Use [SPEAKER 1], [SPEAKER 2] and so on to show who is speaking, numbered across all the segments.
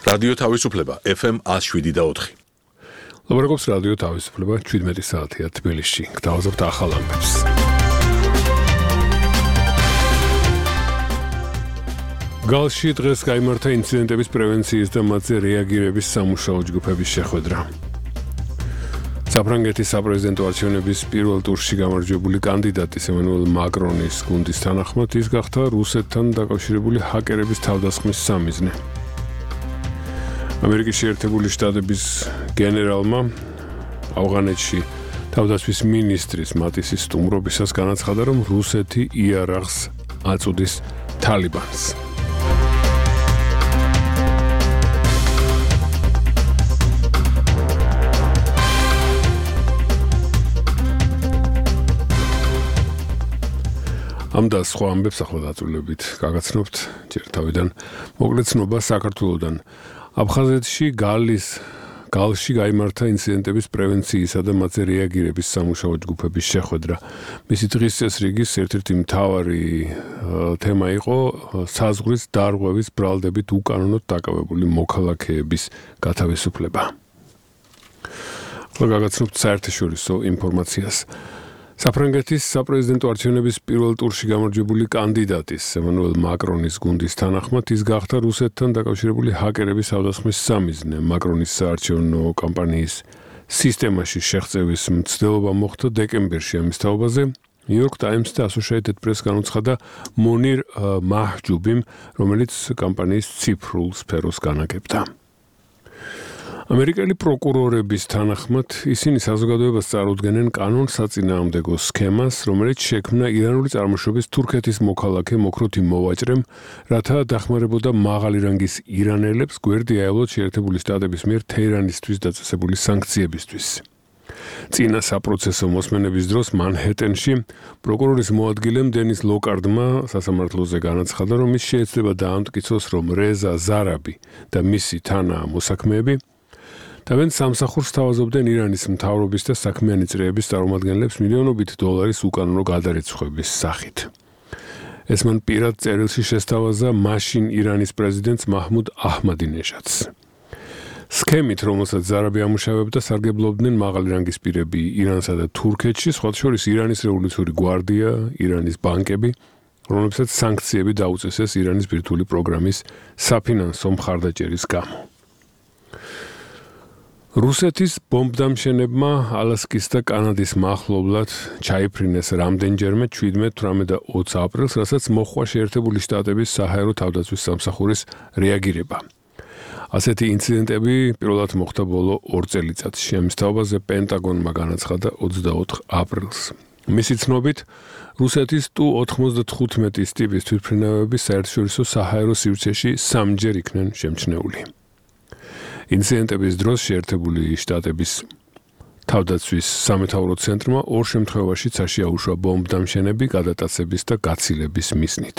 [SPEAKER 1] რადიო თავისუფლება FM 107.4.
[SPEAKER 2] ლაპარაკობს რადიო თავისუფლება 17 საათია თბილისში. გთავაზობთ ახალ ამბებს. გალში დღეს გაიმართა ინციდენტების პრევენციის და მათზე რეაგირების სამუშაო ჯგუფების შეხვედრა. საფრანგეთის საპრეზიდენტო არჩევნების პირველ ტურში გამარჯვებული კანდიდატის ემანუელ მაკრონის გუნდის თანახმად ის გახდა რუსეთთან დაკავშირებული ჰაკერების თავდასხმის სამიზნე. ამერიკის შეერთებული შტატების გენერალმა ავღანეთში თავდასხმის მინისტრის მატისის სტუმრობისას განაცხადა, რომ რუსეთი იარაღს აწუდის თალიბანს. ამ და სხვა ამბებს ახლა დაწვრილებით გაგაცნობთ ჯერ თავიდან მოკლე ცნობა საქართველოდან. აფხაზეთში გალში გაიმართა ინციდენტების პრევენციისა და მათზე რეაგირების სამუშაო ჯგუფების შეხვედრა. მისი დღის წესრიგის ერთ-ერთი მთავარი თემა იყო საზღვრის დარღვევის ბრალდებით უკანონოდ დაკავებული მოქალაქეების გათავისუფლება. ახლა გაგაცნობთ საერთაშორისო ინფორმაციას. საფრანგეთის საპრეზიდენტო არჩევნების პირველ ტურში გამარჯვებული კანდიდატის ემანუელ მაკრონის გუნდის თანახმად ის გახდა რუსეთთან დაკავშირებული ჰაკერების თავდასხმის სამიზნე. მაკრონის საარჩევნო კამპანიის სისტემაში შეღწევის მცდელობა მოხდა დეკემბერში. ამის თაობაზე New York Times და Associated Press განუცხადა მონირ მაჰჯუბიმ, რომელიც კამპანიის ციფრულ სფეროს განაგებდა. ამერიკელი პროკურორების თანახმად ისინი საზოგადოებას წარუდგენენ კანონსაწინააღმდეგო სქემას, რომელიც შექმნა ირანული წარმოშობის თურქეთის მოქალაქე მოქრუთი მოვაჭრემ, რათა დახმარებოდა მაღალი რანგის ირანელებს გვერდი აევლოთ შეერთებული შტატების მიერ თეირანისთვის დაწესებული სანქციებისთვის. წინა საპროცესო მოსმენების დროს მანჰეტენში პროკურორის მოადგილემ დენის ლოკარდმა სასამართლოზე განაცხადა, რომ ის შეეცდება დაამტკიცოს, რომ რეზა ზარაბი და მისი თანამოსაქმეები თავენ სამსახურს თავაზობდნენ ირანის მთავრობის და საქმიანი წრეების წარმომადგენლებს მილიონობით დოლარის უკანონო გადარიცხვების სახით. ეს მან პირად წერილში შესთავაზა მაშინ ირანის პრეზიდენტს მაჰმუდ აჰმადინეჟადს. სქემით, რომელსაც ზარაბი ამუშავებდა, სარგებლობდნენ მაღალი რანგის პირები ირანსა და თურქეთში, სხვათა შორის ირანის რევოლუციური გვარდია, ირანის ბანკები, რომლებსაც სანქციები დაუწესეს ირანის ბირთვული პროგრამის საფინანსო მხარდაჭერის გამო. რუსეთის ბომბდამშენებმა ალასკის და კანადის მახლობლად ჩაიფრინეს რამდენჯერმე 17, 18 და 20 აპრილს, რასაც მოჰყვა შეერთებული შტატების საჰაერო თავდაცვის სამსახურის რეაგირება. ასეთი ინციდენტები პირველად მოხდა ბოლო 2 წელიწადში. ამის თაობაზე პენტაგონმა განაცხადა 24 აპრილს. მისი ცნობით, რუსეთის Tu-95 ტიპის თვითმფრინავები საერთაშორისო საჰაერო სივრცეში 3-ჯერ იქნენ შემჩნეული. ინციდენტების დროს შეერთებული შტატების თავდაცვის სამეთაურო ცენტრმა 2 შემთხვევაში წაშიაუშვა ბომბდამშენები გადატაცების და გაცილების მიზნით.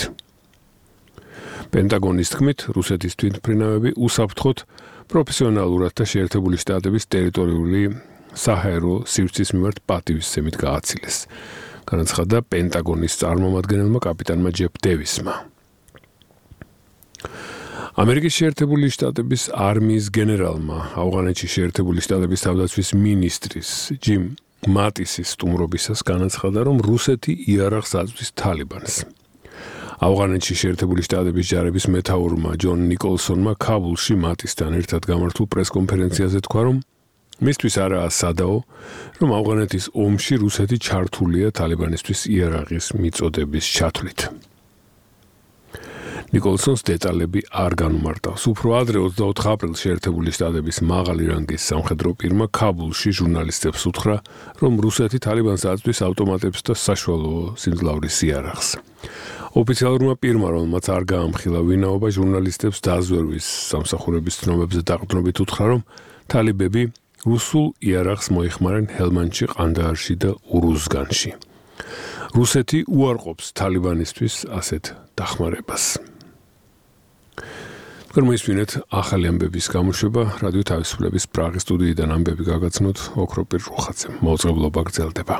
[SPEAKER 2] პენტაგონის თქმით, რუსეთის თვითმფრინავები უსაფრთხოდ პროფესიონალურად და შეერთებული შტატების ტერიტორიული საჰაერო სივრცის მიმართ პატივისცემით გააცილეს. განაცხადა პენტაგონის წარმომადგენელმა კაპიტანმა ჯეფ დევისმა. ამერიკის შეერთებული შტატების არმიის გენერალმა ავღანეთში შეერთებული შტატების თავდაცვის მინისტრის ჯიმ მატისის სტუმრობისას განაცხადა, რომ რუსეთი იარაღს აწვდის თალიბანს. ავღანეთში შეერთებული შტატების ჯარების მეთაურმა ჯონ ნიკოლსონმა ქაბულში მატისთან ერთად გამართულ პრესკონფერენციაზე თქვა, რომ მისთვის არაა სადაო, რომ ავღანეთის ომში რუსეთი ჩართულია თალიბანისთვის იარაღის მიწოდების ჩათვლით. ნიკოლსონს დეტალები არ განუმარტავს. უფრო ადრე 24 აპრილს შეერთებული შტატების მაღალი რანგის სამხედრო პირმა ქაბულში ჟურნალისტებს უთხრა, რომ რუსეთი თალიბანს აწვდის ავტომატებს და საშუალო სიმძლავრის იარაღს. ოფიციალურმა პირმა, რომელმაც არ გაამხილა ვინაობა, ჟურნალისტებს დაზვერვის სამსახურების ცნობებზე დაყრდნობით უთხრა, რომ თალიბები რუსულ იარაღს მოიხმარენ ჰელმანდში, ყანდაარში და ურუზგანში. რუსეთი უარყოფს თალიბანისთვის ასეთ დახმარებას. მოისმინეთ ახალი ამბების გამოშვება რადიო თავისუფლების პრაღის სტუდიიდან ამბები გაგაცნოთ ოქროპირ რუხაძემ. მოუწყებლობა გრძელდება.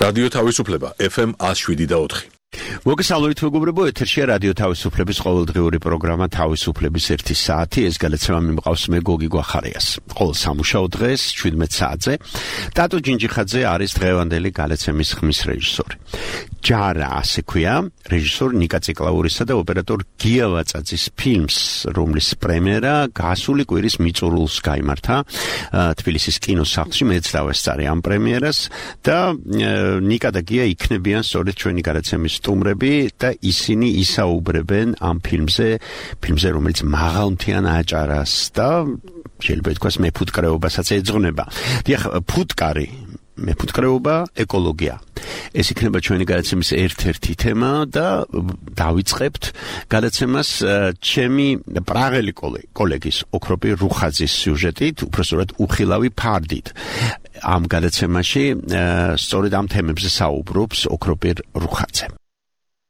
[SPEAKER 1] რადიო თავისუფლება FM 107.4.
[SPEAKER 3] მოგესალმებით მეგობრებო, ეთერშია რადიო თავისუფლების ყოველდღიური პროგრამა თავისუფლების 1 საათი. ეს გადაცემა მიმყავს მე გოგი გვახარიას. ყოველ სამუშაო დღეს 17 საათზე ტატო ჯინჯიხაძე არის დღევანდელი გადაცემის ხმის რეჟისორი. ჯარა ასე ქვია, რეჟისორ ნიკა ციკლაურისა და ოპერატორ გია ვაწაძის ფილმს, რომლის პრემიერა გასული კვირის მიწურულს გაიმართა თბილისის კინოსახლში. მეც დავესწარი ამ პრემიერას და ნიკა და გია იქნებიან სწორედ ჩვენი გადაცემის სტუმრები და ისინი ისაუბრებენ ამ ფილმზე, რომელიც მაღალმთიან აჭარას და შეიძლება ითქვას მეფუტკრეობასაც ეძღვნება. დიახ, მეფუტკრეობა, ეკოლოგია. ეს იქნება ჩვენი გადაცემის ერთ-ერთი თემა და დავიწყებთ გადაცემას ჩემი პრაღელი კოლეგის ოქროპი რუხაძის სიუჟეტით, უბრალოდ უხილავი ფარდით. ამ გადაცემაში სწორედ ამ თემებზე საუბრობს ოქროპი რუხაძე.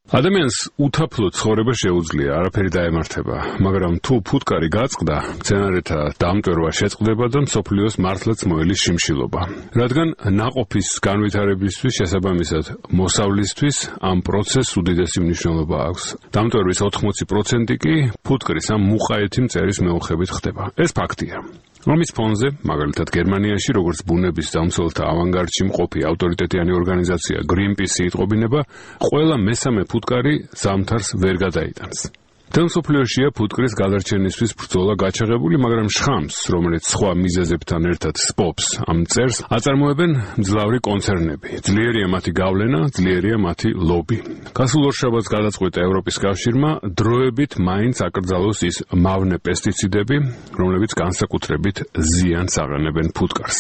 [SPEAKER 2] ადამიანს უთაფლო ცხოვრება შეუძლია, არაფერი დაემართება, მაგრამ თუ ფუტკარი გაწყდა, მცენარეთა დამტვერვა შეწყდება და მსოფლიოს მართლაც მოელის შიმშილობა. რადგან ნაყოფის განვითარებისთვის შესაბამისად მოსავლისთვის ამ პროცესს უდიდესი მნიშვნელობა აქვს. დამტვერვის 80% კი ფუტკრის ამ მუყაეთი მწერის მეოხებით ხდება. ეს ფაქტია. ამის ფონზე, მაგალითად გერმანიაში, როგორც ბუნების დამცველთა ავანგარდში მყოფი ავტორიტეტიანი ორგანიზაცია Greenpeace იტყობინება, ყველა მესამე ფუტკარი ზამთარს ვერ გადაიტანს. მსოფლიოშია ფუტკრის გადარჩენისთვის ბრძოლა გაჩაღებული, მაგრამ შხამს, რომელიც სხვა მიზეზებთან ერთად სპობს ამ მწერს, აწარმოებენ მძლავრი კონცერნები. ძლიერია მათი გავლენა, ძლიერია მათი ლობი. გასულ ორშაბათს გადაწყვიტა ევროპის კავშირმა დროებით მაინც აკრძალოს ის მავნე პესტიციდები, რომლებიც განსაკუთრებით ზიანს აყენებენ ფუტკარს.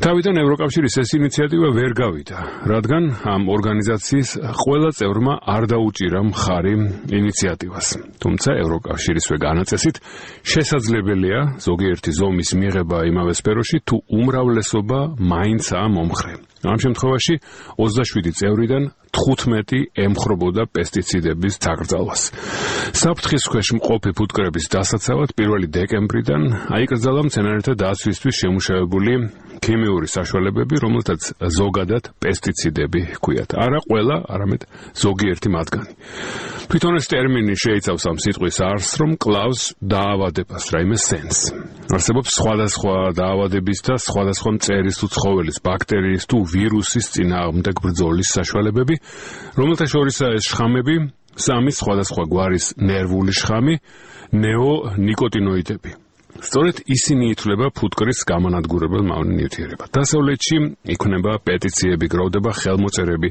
[SPEAKER 2] თავიდან ევროკავშირის ეს ინიციატივა ვერ გავიდა, რადგან ამ ორგანიზაციის ყველა წევრმა არ დაუჭირა მხარი ინიციატივას. თუმცა ევროკავშირისვე განაწესით შესაძლებელია ზოგიერთი ზომის მიღება იმავე სფეროში, თუ უმრავლესობა მაინცაა მომხრე. ამ შემთხვევაში 27 წევრიდან 15 ემხრობოდა პესტიციდების დაკრძალვას. საფრთხის ქვეშ მყოფი ფუტკრების დასაცავად 1 დეკემბრიდან აიკრძალა მცენარეთა დაცვისთვის შემუშავებული ქიმიური საშუალებები, რომელთაც ზოგადად პესტიციდები ჰქვიათ. არა ყველა, არამედ ზოგიერთი მათგანი. თვითონ ეს ტერმინი შეიცავს ამ სიტყვის არსს, რომ კლავს დაავადებას, რაიმე სენს. არსებობს სხვადასხვა დაავადების და სხვადასხვა მწერის თუ ცხოველის, ბაქტერიის თუ ვირუსის წინააღმდეგ ბრძოლის საშუალებები, რომელთა შორისაა ეს შხამები, 3 სხვადასხვა გვარის ნერვული შხამი, ნეონიკოტინოიდები. სწორედ ისინი ითვლება ფუტკრის გამანადგურებელ მავნე ნივთიერებად. დასავლეთში იქმნება პეტიციები, გროვდება ხელმოწერები,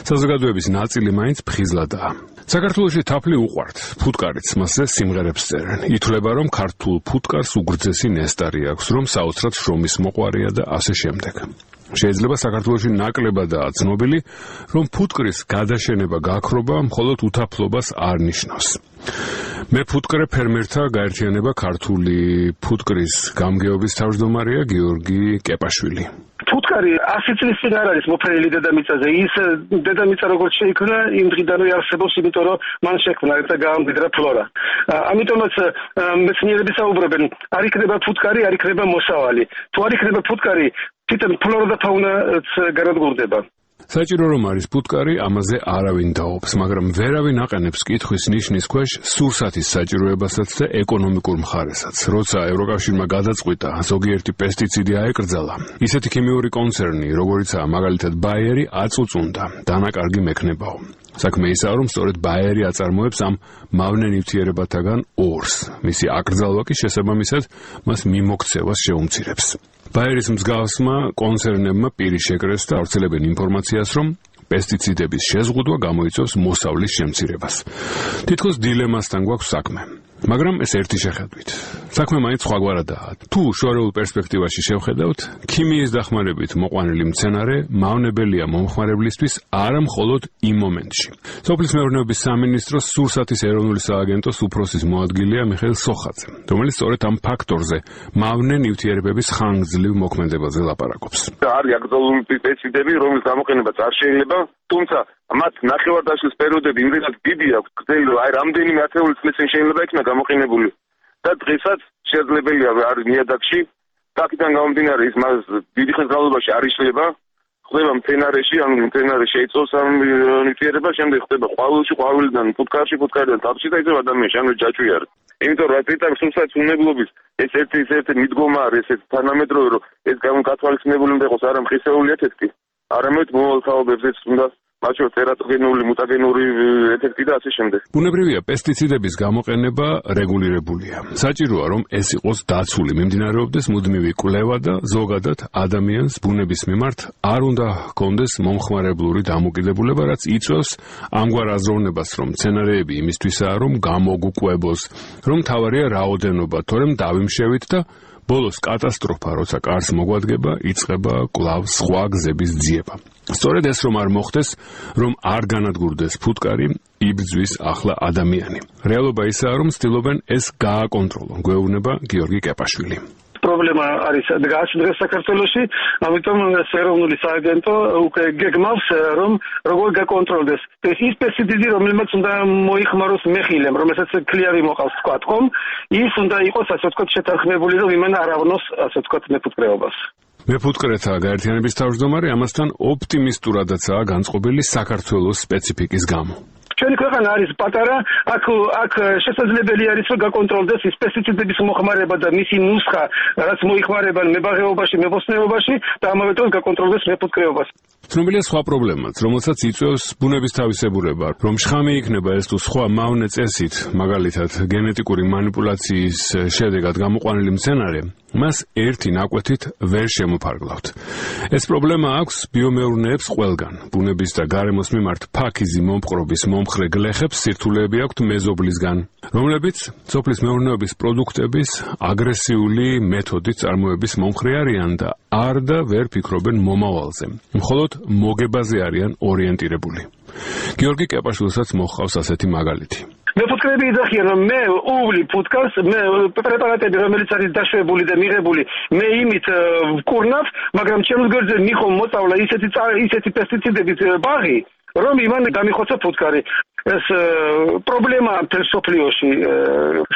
[SPEAKER 2] საზოგადოების ნაწილი მაინც ფხიზლადაა. საქართველოში თაფლი უყვართ, ფუტკარიც მასზე სიმღერებს წერენ. ითვლება, რომ ქართულ ფუტკარს უგრძესი ნესტარი აქვს, რომ საოცრად შრომის მოყვარია და ასე შემდეგ. შეიძლება საქართველოში ნაკლებადაა ცნობილი, რომ ფუტკრის გადაშენება გაქრობა მხოლოდ უთაფლობას არ ნიშნავს. მეფუტკრე ფერმერთა გაერთიანება ქართული ფუტკრის გამგეობის თავმჯდომარეა გიორგი კეპაშვილი.
[SPEAKER 4] ფუტკარი 100 წლის წინ არ არის მოფენილი დედამიწაზე. ის დედამიწა როგორც შეიქმნა, იმ დღიდანვე არსებობს, იმიტომ რომ მან შექმნა ერთ გაამკვიდრა ფლორა. ამიტომაც მეცნიერები საუბრობენ, არ იქნება ფუტკარი, არ იქნება მოსავალი. თუ არ იქნება ფუტკარი, თვითონ ფლორა და ფაუნაც განადგურდება.
[SPEAKER 2] საჭირო რომ არის ფუტკარი, ამაზე არავინ დაობს, მაგრამ ვერავინ აყენებს კითხვის ნიშნის ქვეშ სურსათის საჭიროებასაც და ეკონომიკურ მხარესაც. როცა ევროკავშირმა გადაწყვიტა ზოგიერთი პესტიციდი აეკრძალა, ისეთი ქიმიური კონცერნი, როგორიცაა მაგალითად ბაიერი, აწუწუნდა, დანაკარგი მექნებაო. საქმე ისაა, რომ სწორედ ბაიერი აწარმოებს ამ მავნე ნივთიერებათაგან ორს. მისი აკრძალვა კი შესაბამისად მას მიმოქცევას შეუმცირებს. ბაიერის მსგავსმა კონცერნებმა პირი შეკრეს და ავრცელებენ ინფორმაციას, რომ პესტიციდების შეზღუდვა გამოიწვევს მოსავლის შემცირებას. თითქოს დილემასთან გვაქვს საქმე. მაგრამ ეს ერთი შეხედვით. საქმე მაინც სხვაგვარადაა. თუ შორეულ პერსპექტივაში შევხედავთ, ქიმიის დახმარებით მოყვანილი მცენარე მავნებელია მომხმარებლისთვის არა მხოლოდ იმ მომენტში. სოფლის მეურნეობის სამინისტროს სურსათის ეროვნული სააგენტოს უფროსის მოადგილეა მიხეილ სოხაძე, რომელიც სწორედ ამ ფაქტორზე მავნე ნივთიერებების ხანგრძლივ მოქმედებაზე ლაპარაკობს.
[SPEAKER 5] არის აკრძალული პესტიციდები, რომლის გამოყენებაც არ შეიძლება, თუმცა მათ ნახევარდაშლის პერიოდები იმდენად დიდი აქვს, გრძელი, აი რამდენიმე ათეული წლის წინ შეიძლება იქნა გამოყენებული. და დღესაც შეძლებელია არის ნიადაგში, აქედან გამომდინარე ის მას დიდი ხნის განმავლობაში არ იშლება, ხდება მცენარეში, ანუ მცენარე შეიწოვს ამ ნივთიერება, შემდეგ ხდება ყვავილში, ყვავილიდან ფუტკარში, ფუტკარიდან თაფლში და ისევ ადამიანში, ანუ ჯაჭვი არის. იმიტომ რომ პიტარ სულსაც უნებლობის ეს ერთი მიდგომა არის, ეს თანამედროვე რომ ეს გათვალისწინებული უნდა იყოს არა მხისეული ეთიკი, არამედ მომავალ თაობებზეც უნდა მათ შორის ტერატოგენული, მუტაგენური ეფექტი და ასე შემდეგ.
[SPEAKER 2] ბუნებრივია, პესტიციდების გამოყენება რეგულირებულია. საჭიროა, რომ ეს იყოს დაცული, მიმდინარეობდეს მუდმივი კვლევა და ზოგადად ადამიანს ბუნების მიმართ არ უნდა ჰქონდეს მომხმარებლური დამოკიდებულება, რაც იწვევს ამგვარ აზროვნებას, რომ მცენარეები იმისთვისაა, რომ გამოგუკვებოს, რომ თავარია რაოდენობა, თორემ დავიმშევით და ბოლოს კატასტროფა, როცა კარს მოგვადგება, იწყება კვლავ სხვა გზების ძიება. სწორედ ეს რომ არ მოხდეს, რომ არ განადგურდეს ფუტკარი, იბრძვის ახლა ადამიანი. რეალობა ისაა, რომ ცდილობენ ეს გააკონტროლონ, გვეუბნება გიორგი კეპაშვილი.
[SPEAKER 4] პრობლემა არის დღეს საქართველოში, ამიტომ ეროვნული სააგენტო უკვე გეგმავს, რომ როგორ გაკონტროლდეს ის პესტიციდი, რომელმაც უნდა მოიხმაროს მეხილემ, რომელსაც ქლიავი მოყავს თქვა, ხომ? ის უნდა იყოს, ასე ვთქვათ, შეთანხმებული, რომ იმან არ ავნოს, ასე ვთქვათ, მეფუტკრეობას.
[SPEAKER 2] მეფუტკრეთა გაერთიანების თავმჯდომარე ამასთან ოპტიმისტურადაცაა განწყობილი საქართველოს სპეციფიკის გამო.
[SPEAKER 4] ჩვენი ქვეყანა არის პატარა, აქ შესაძლებელი არის რომ გაკონტროლდეს ის პესტიციდების მოხმარება და მისი ნუსხა, რაც მოიხმარებენ მებაღეობაში, მებოსტნეობაში და ამავე დროს გაკონტროლდეს მეფუტკრეობას.
[SPEAKER 2] ცნობილია სხვა პრობლემაც, რომელსაც იწვევს ბუნების თავისებურება, რომ შხამი იქნება ეს თუ სხვა მავნე წესით, მაგალითად გენეტიკური მანიპულაციის შედეგად გამოყვანილი მცენარე, მას ერთი ნაკვეთით ვერ შემოფარგლავთ. ეს პრობლემა აქვს ბიომეურნეებს ყველგან. ბუნების და გარემოს მიმართ ფაქიზი მომპყრობის მომხრე გლეხებს სირთულეები აქვთ მეზობლისგან, რომლებიც სოფლის მეურნეობის პროდუქტების აგრესიული მეთოდით წარმოების მომხრე არიან და არ და ვერ ფიქრობენ მომავალზე. მხოლოდ მოგებაზე არიან ორიენტირებული. გიორგი კეპაშვილსაც მოჰყავს ასეთი მაგალითი.
[SPEAKER 4] მეფუტკრეები იძახიან, რომ მე უვლი ფუტკარს, მე პრეპარატები, რომელიც არის დაშვებული და მიღებული, მე იმით ვკურნავ, მაგრამ ჩემს გვერდზე მიხომ მოწავლა ისეთი პესტიციდებით ბაღი, რომ იმან გამიხოცა ფუტკარი. ეს პრობლემაა მთელ სოფლიოში,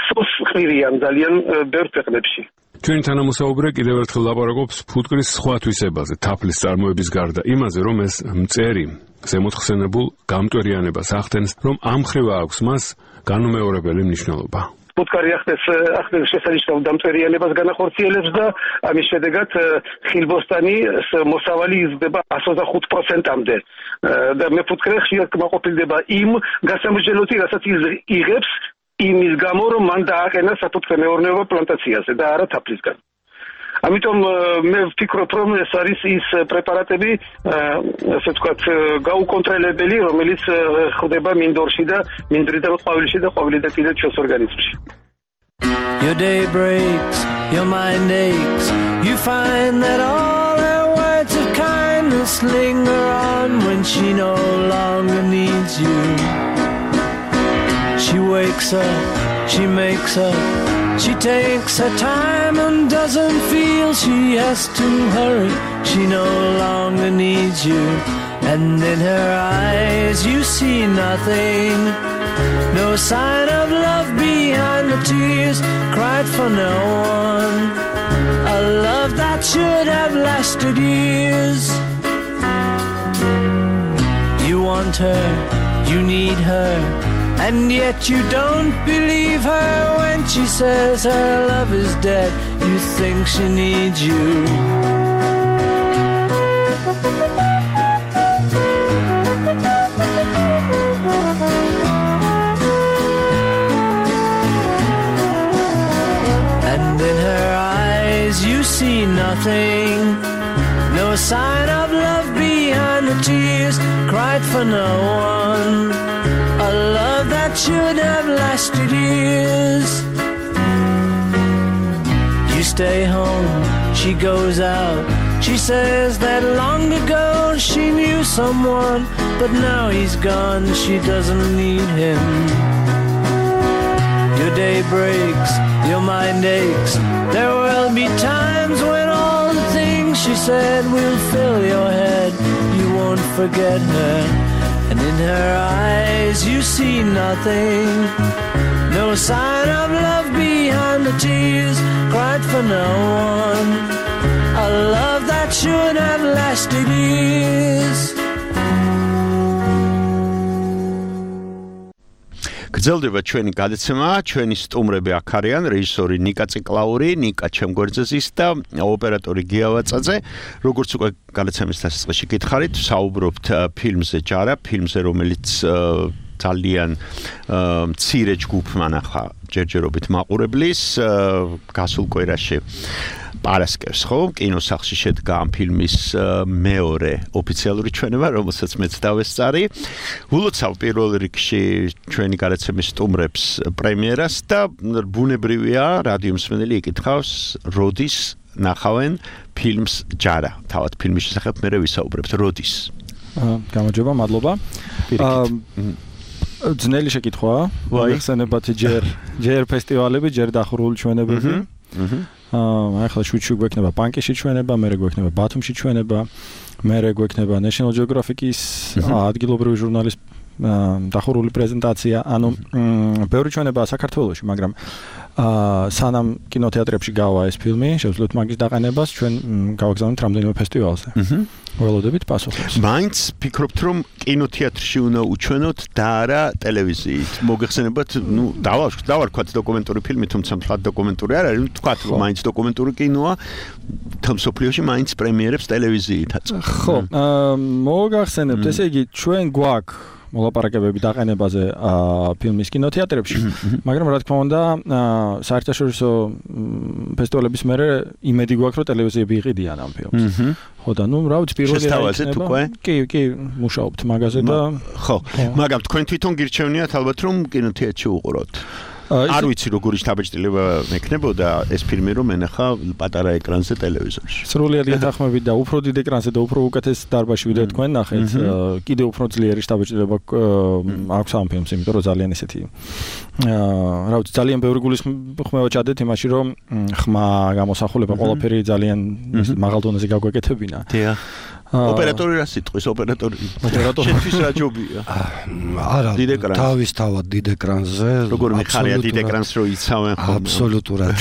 [SPEAKER 4] სოს ხმირიან ძალიან ბევრ ქვეყნებში.
[SPEAKER 2] ჩვენი თანამოსაუბრე კიდევ ერთხელ ლაპარაკობს ფუტკრის სხვა თვისებაზე, თაფლის წარმოების გარდა, იმაზე, რომ ეს მწერი ზემოთხსენებულ გამტვერიანებას ახდენს, რომ ამ ხრივა აქვს მას განუმეორებელი მნიშვნელობა.
[SPEAKER 4] ფუტკარი ახდენს შესანიშნავ დამტვერიანებას განახორციელებს და ამის შედეგად ხილბოსტანი მოსავალი იზრდება 125%-მდე. და მეფუტკრე ხშირად კმაყოფილდება იმ გასამრჯელოთი, რასაც იღებს იმის გამო, რომ მან დააყენა საფუტკრე მეურნეობა პლანტაციაზე და არა თაფლისგან. ამიტომ მე ვფიქრობ, რომ ეს არის ის პრეპარატები, ასე ვთქვათ, გაუკონტროლებელი, რომელიც ხდება მინდორში და მინდვრიდან ყვავილში და ყვავილიდან კიდევ ჩვენს ორგანიზმში.
[SPEAKER 6] Your day breaks, your mind aches, you find that all her words of kindness linger on when she no longer needs you. She wakes up, she makes up, she takes her time and doesn't feel she has to hurry. She no longer needs you, and in her eyes you see nothing. No sign of love behind the tears cried for no one. A love that should have lasted years. You want her, you need her, and yet you don't believe her when she says her love is dead. You think she needs you. And in her eyes you see nothing. No sign of love behind the tears cried for no one. A love that should have lasted years. You stay home, she goes out. She says that long ago she knew someone, but now he's gone, she doesn't need him. Your day breaks, your mind aches. There will be times when all the things she said will fill your head. You won't forget her. And in her eyes you see nothing. No sign of love behind the tears cried for no one. A love that should have lasted years.
[SPEAKER 3] გრძელდება ჩვენი გადაცემა, ჩვენი სტუმრები აქ არიან, რეჟისორი ნიკა ციკლაური, ნიკა ჩემგორძეზის და ოპერატორი გიავაწაძე. როგორც უკვე გადაცემის დასაწყისში გითხარით, საუბრობთ ფილმზე ჯარა, ფილმზე, რომელიც ძალიან მცირე ჯგუფმა ნახა ჯერჯერობით მაყურებლის გასულ კვირაში პარასკევს, ხო? კინოსახლში შედგა ამ ფილმის მეორე ოფიციალური ჩვენება, რომელსაც მეც დავესწარი. ულოცავ პირველ რიგში ჩვენი გადაცემის სტუმრებს პრემიერას და ბუნებრივია რადიო მსმენელი იკითხავს, როდის ნახავენ ფილმს ჯარა. თავად ფილმის შესახებ მე ვისაუბრებთ, როდის?
[SPEAKER 7] გამარჯობა, მადლობა. ძნელი შეკითხვაა. მოიხსენებათ ჯერ ფესტივალები, ჯერ დახურული ჩვენებები. ახლა შუჩი გვექნება პანკიში ჩვენება, მერე გვექნება ბათუმში ჩვენება, მერე გვექნება National Geographic-ის ადგილობრივი ჟურნალის დახურული პრეზენტაცია, ანუ ბევრი ჩვენება საქართველოში, მაგრამ სანამ კინოთეატრებში გავა ეს ფილმი, შევძლოთ მაგის დაყენებას, ჩვენ გავაგზავნეთ რამდენიმე ფესტივალზე. ველოდებით პასუხებს.
[SPEAKER 3] მაინც ფიქრობთ, რომ კინოთეატრში უნდა უჩვენოთ და არა ტელევიზიით. მოგეხსენებათ, დავარქვათ დოკუმენტური ფილმი, თუმცა მთლად დოკუმენტური არ არის, თქვათ, რომ მაინც დოკუმენტური კინოა, თემსოფლიოში მაინც პრემიერებს ტელევიზიით აწყობს. ხო,
[SPEAKER 7] მოგახსენებთ, ესე იგი, ჩვენ გვაქვს მოლაპარაკებები დაყენებაზე ფილმის კინოთეატრებში, მაგრამ რა თქმა უნდა, საერთაშორისო ფესტივალების მერე იმედი გვაქვს, რომ ტელევიზიები იყიდიან ამ ფილმს. ხო და ნუ რა ვიცი, პირველი
[SPEAKER 3] იქნება.
[SPEAKER 7] კი, მუშაობთ მაგაზე და
[SPEAKER 3] ხო, მაგრამ თქვენ თვითონ გირჩევნიათ ალბათ რომ კინოთეატრში უყუროთ. არ ვიცი როგორი შთაბეჭდილება მექნებოდა ეს ფილმი რომ ენახა პატარა ეკრანზე ტელევიზორში.
[SPEAKER 7] სრულიად გეთანხმებით და უფრო დიდ ეკრანზე და უფრო უკეთეს დარბაზში ვიდრე თქვენ ნახეთ, კიდე უფრო ძლიერი შთაბეჭდილება აქვს ამ ფილმს, იმიტომ რომ ძალიან ესეთი რა ვიცი, ძალიან ბევრი გულისხმევა ჩადეთ იმაში, რომ ხმა გამოსახულება ყველაფერი ძალიან მაღალ დონეზე გაგვეკეთებინა.
[SPEAKER 3] დიახ. ოპერატორი რა სიტყვის ოპერატორი? შენთვის რა ჯობია?
[SPEAKER 8] არა, თავისთავად დიდ ეკრანზე.
[SPEAKER 3] როგორ მიხარია დიდ ეკრანს რო იცავენ ხოლმე?
[SPEAKER 8] აბსოლუტურად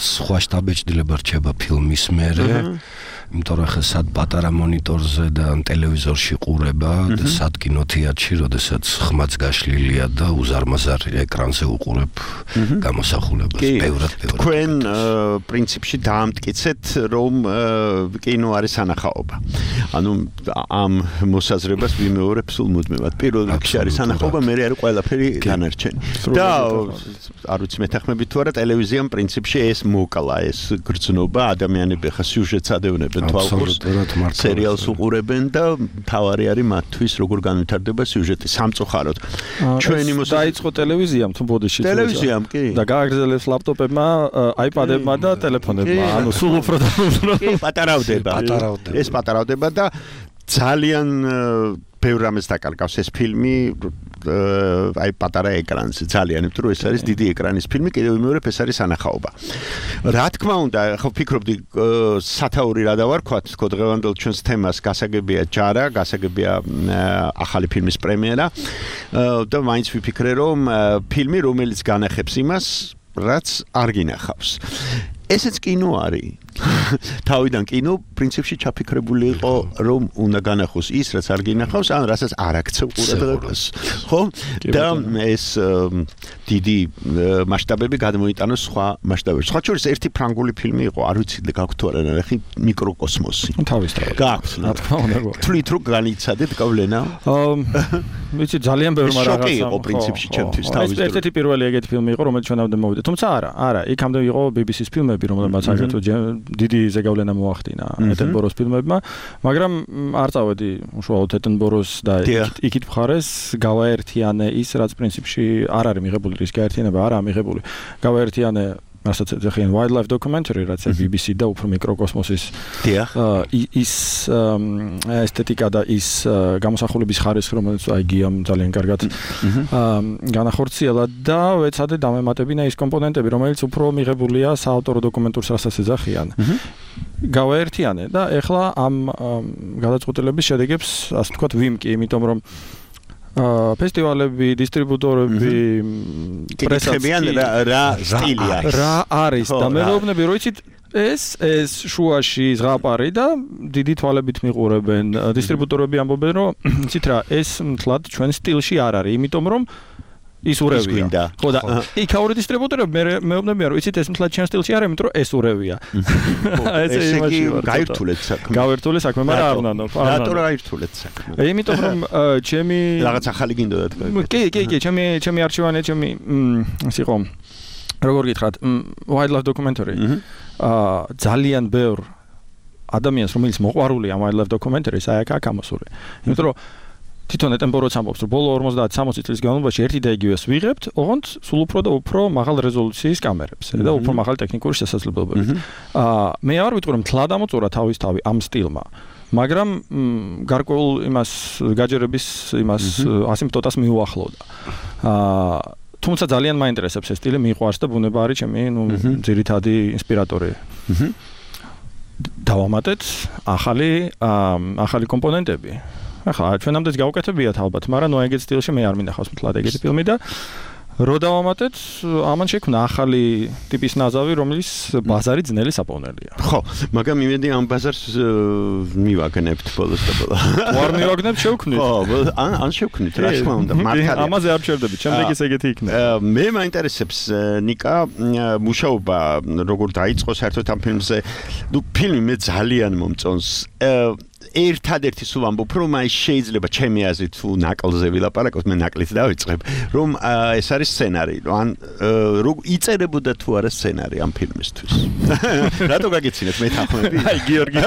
[SPEAKER 8] სხვა შთაბეჭდილება რჩება ფილმის მერე. იმიტომ რომ ხა სად პატარა მონიტორზე და ტელევიზორში ყურება და სად კინოთეატრში, როდესაც ხმაც გაშლილია და უზარმაზარ ეკრანზე უყურებ გამოსახულებას. ბევრად.
[SPEAKER 3] თქვენ პრინციპში დაამტკიცეთ, რომ კინო არის სანახაობა. ანუ ამ მოსაზრებას ვიმეორებ სულ მუდმივად. პირველ რიგში არის სანახაობა, მერე არის ყველაფერი განარჩენი. და არ ვიცი მეთანხმებით თუ არა, ტელევიზიამ პრინციპში ეს მოკლა, ეს გრძნობა, ადამიანები ხა სიუჟეტს ადევნებენ. სერიალს უყურებენ და თავარი არის მათთვის როგორ განვითარდება სიუჟეტი სამწუხაროდ. ჩვენი
[SPEAKER 7] დაიწყო ტელევიზიამ თუ ბოდიში
[SPEAKER 3] ტელევიზიამ კი
[SPEAKER 7] და გააგრძელებს ლაპტოპებმა, აიპადებმა და ტელეფონებმა. ანუ სულ უფრო და უფრო
[SPEAKER 3] პატარავდება. ეს პატარავდება და ძალიან ბევრ რამეს დაკარგავს ეს ფილმი აი პატარა ეკრანზე ძალიან, იმიტომ რომ ეს არის დიდი ეკრანის ფილმი, კიდევ ვიმეორებ, ეს არის სანახაობა. რა თქმა უნდა, ხო ვფიქრობდი სათაური რა დავარქვათ, თქო დღევანდელ ჩვენს თემას გასაგებია ჯარა, გასაგებია ახალი ფილმის პრემიერა და მაინც ვიფიქრე რომ ფილმი რომელიც განახებს იმას, რაც არ გინახავს. ესეც კინო არის. თავიდან კინო პრინციპში ჩაფიქრებული იყო რომ უნდა განახოს ის რაც არ გინახავს, ან რასაც არ აქცევ ყურადღებას. ხო? და ეს დიდი მასშტაბები გადმოიტანოს სხვა მასშტაბებში. სხვა შორის ერთი ფრანგული ფილმი იყო, არ ვიცი გაქვთ თუ არა ნახე, მიკროკოსმოსი.
[SPEAKER 7] თავისთავად.
[SPEAKER 3] გაქვთ.
[SPEAKER 7] რა თქმა უნდა.
[SPEAKER 3] თვლით რომ განიცადეთ გავლენა?
[SPEAKER 7] ვიცი ძალიან ბევრი რაღაცა.
[SPEAKER 3] შოკი იყო პრინციპში ჩემთვის თავის დროს.
[SPEAKER 7] ერთ-ერთი პირველი ეგეთი ფილმი იყო, რომელიც ჩვენამდე მოვიდა. თუმცა არა, იქამდე იყო BBC-ის ფილმები, რომელმაც აგრეთვე დიდი ზეგავლენა მოახდინა ეტენბოროს ფილმებმა, მაგრამ არ წავედი უშუალოდ ეტენბოროს და იქით მხარეს გავაერთიანე ის, რაც პრინციპში არ არის მიღებული, რის გაერთიანება არაა მიღებული. გავაერთიანე რასაც ეძახიან wildlife documentary, რაც BBC და უფრო მიკროკოსმოსის ის ესთეტიკა და ის გამოსახულების ხარისხი, რომელიც აი გიამ ძალიან კარგად განახორციელა და ვეცადე დამემატებინა ის კომპონენტები, რომელიც უფრო მიღებულია საავტორო დოკუმენტურს, რასაც ეძახიან. გავაერთიანე და ეხლა ამ გადაწყვეტილების შედეგებს, ასე ვთქვათ, ვიმკი, იმიტომ რომ ფესტივალები, დისტრიბუტორები, პრესაციან რა სტილია. რა არის და მეუბნები, რომ იცით ეს შუაში ზღაპარი და დიდი თვალებით მიყურებენ. დისტრიბუტორები ამბობენ, რომ იცით რა, ეს მთლად ჩვენ სტილში არ არის, იმიტომ რომ ის ურევია. ხო და იქაური დისტრიბუტორები მეუბნებიან რომ იცით ეს მთლად ჩემ სტილში არ იმიტომ რომ ეს ურევია.
[SPEAKER 3] ესე იგი გაირთულეთ საქმე.
[SPEAKER 7] გავირთული საქმე, მაგრამ არ უნდა.
[SPEAKER 3] რატო გაირთულეთ საქმე?
[SPEAKER 7] იმიტომ რომ ჩემი
[SPEAKER 3] რაღაც ახალი გინდოდათ.
[SPEAKER 7] კი, ჩემი არქივანი, ჩემი ის იყო როგორ გითხრათ, wildlife documentary. ძალიან ბევრ ადამიანს რომელიც მოყვარულია wildlife documentary-ს აი აქ ამოსული. იმიტომ რომ თვითონ ეტენბოროც ამბობს რომ ბოლო 50-60 წლის განმავლობაში ერთი და იგივეს ვიღებთ, ოღონდ სულ უფრო და უფრო მაღალ რეზოლუციის კამერებს და უფრო მაღალი ტექნიკური შესაძლებლობებით. მე არ ვიტყვი რომ თლად ამოწურა თავისთავად ამ სტილმა, მაგრამ გარკვეულ იმას გაჯერების იმას ასიმპტოტას მიუახლოვდა. თუმცა ძალიან მაინტერესებს ეს სტილი, მიყვარს და ბუნება არის ჩემი ძირითადი ინსპირატორი. დავამატეთ ახალი კომპონენტები. ახლა ჩვენამდეც გავუკეთებიათ ალბათ, მაგრამ ნუ ეგეთ სტილში მე არ მინახავს მთლად ეგეთი ფილმი და რო დავამატეთ, ამან შექმნა ახალი ტიპის ნაზავი, რომელიც ბაზარი ძნელი საპოვნელია.
[SPEAKER 3] ხო, მაგრამ იმედი ამ ბაზარს მივაგნებთ ბოლოს და ბოლოს.
[SPEAKER 7] ვარ მივაგნებთ, შევქმნით.
[SPEAKER 3] ხო, ან შევქმნით, რა თქმა უნდა, მართალია.
[SPEAKER 7] ამაზე არ ვჩერდებით, შემდეგიც ეგეთი იქნება.
[SPEAKER 3] მე მაინტერესებს ნიკა მუშაობა როგორ დაიწყო საერთოდ ამ ფილმზე. ნუ ფილმი მე ძალიან მომწონს. ერთადერთი სულ ამბობ, რომ აი შეიძლება ჩემი აზრით თუ ნაკლზე ვილაპარაკოთ, მე ნაკლით დავიწყებ, რომ ეს არის სცენარი, ან როგორ იწერებოდა თუ არა სცენარი ამ ფილმისთვის. რატო გაგეცინეთ მეთანხმები?
[SPEAKER 7] აი გიორგი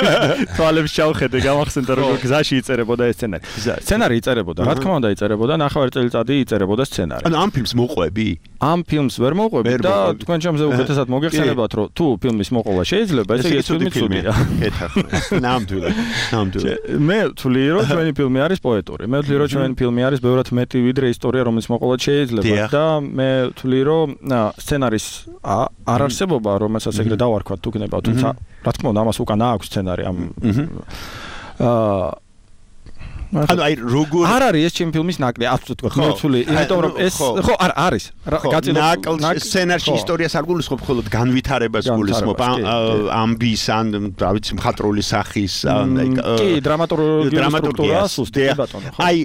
[SPEAKER 7] თვალებს ჩავხედე, გამახსენდა როგორ გზაში იწერებოდა ეს სცენარი. სცენარი იწერებოდა, რა თქმა უნდა იწერებოდა, ნახევარი წელიწადი იწერებოდა სცენარი.
[SPEAKER 3] ანუ ამ ფილმს მოყვები?
[SPEAKER 7] ამ ფილმს ვერ მოყვები და თქვენ ჩემზე უკეთესად მოგეხსენებათ, რომ თუ ფილმის მოყოლა შეიძლება, ესე იგი ეს ფილმი ცუდია.
[SPEAKER 3] კეთახმე. ნამდვილად.
[SPEAKER 7] მე ვთვლი რომ ჩვენი ფილმი არის პოეტური. მე ვთვლი რომ ჩვენი ფილმი არის ბევრად მეტი ვიდრე ისტორია, რომელიც მოყოლად შეიძლება და მე ვთვლი რომ სცენარის არ არსებობა, რომელსაც ეგრე დავარქვათ თუ გნებავ, თუმცა რა თქმა უნდა ამას უკან აქვს სცენარი ამ ანუ აი როგორ არ არის ეს ჩემი ფილმის ნაკლი, ასე თქვა, მე ვთვლი, იმიტომ რომ ეს ხო არ არის.
[SPEAKER 3] ნაკლს სცენარში ისტორიას არ გულისხმობ, მხოლოდ განვითარებას გულისხმობ, ამბის ან რა ვიცი მხატვრული სახის ან
[SPEAKER 7] კი დრამატურგიას ბატონო.
[SPEAKER 3] აი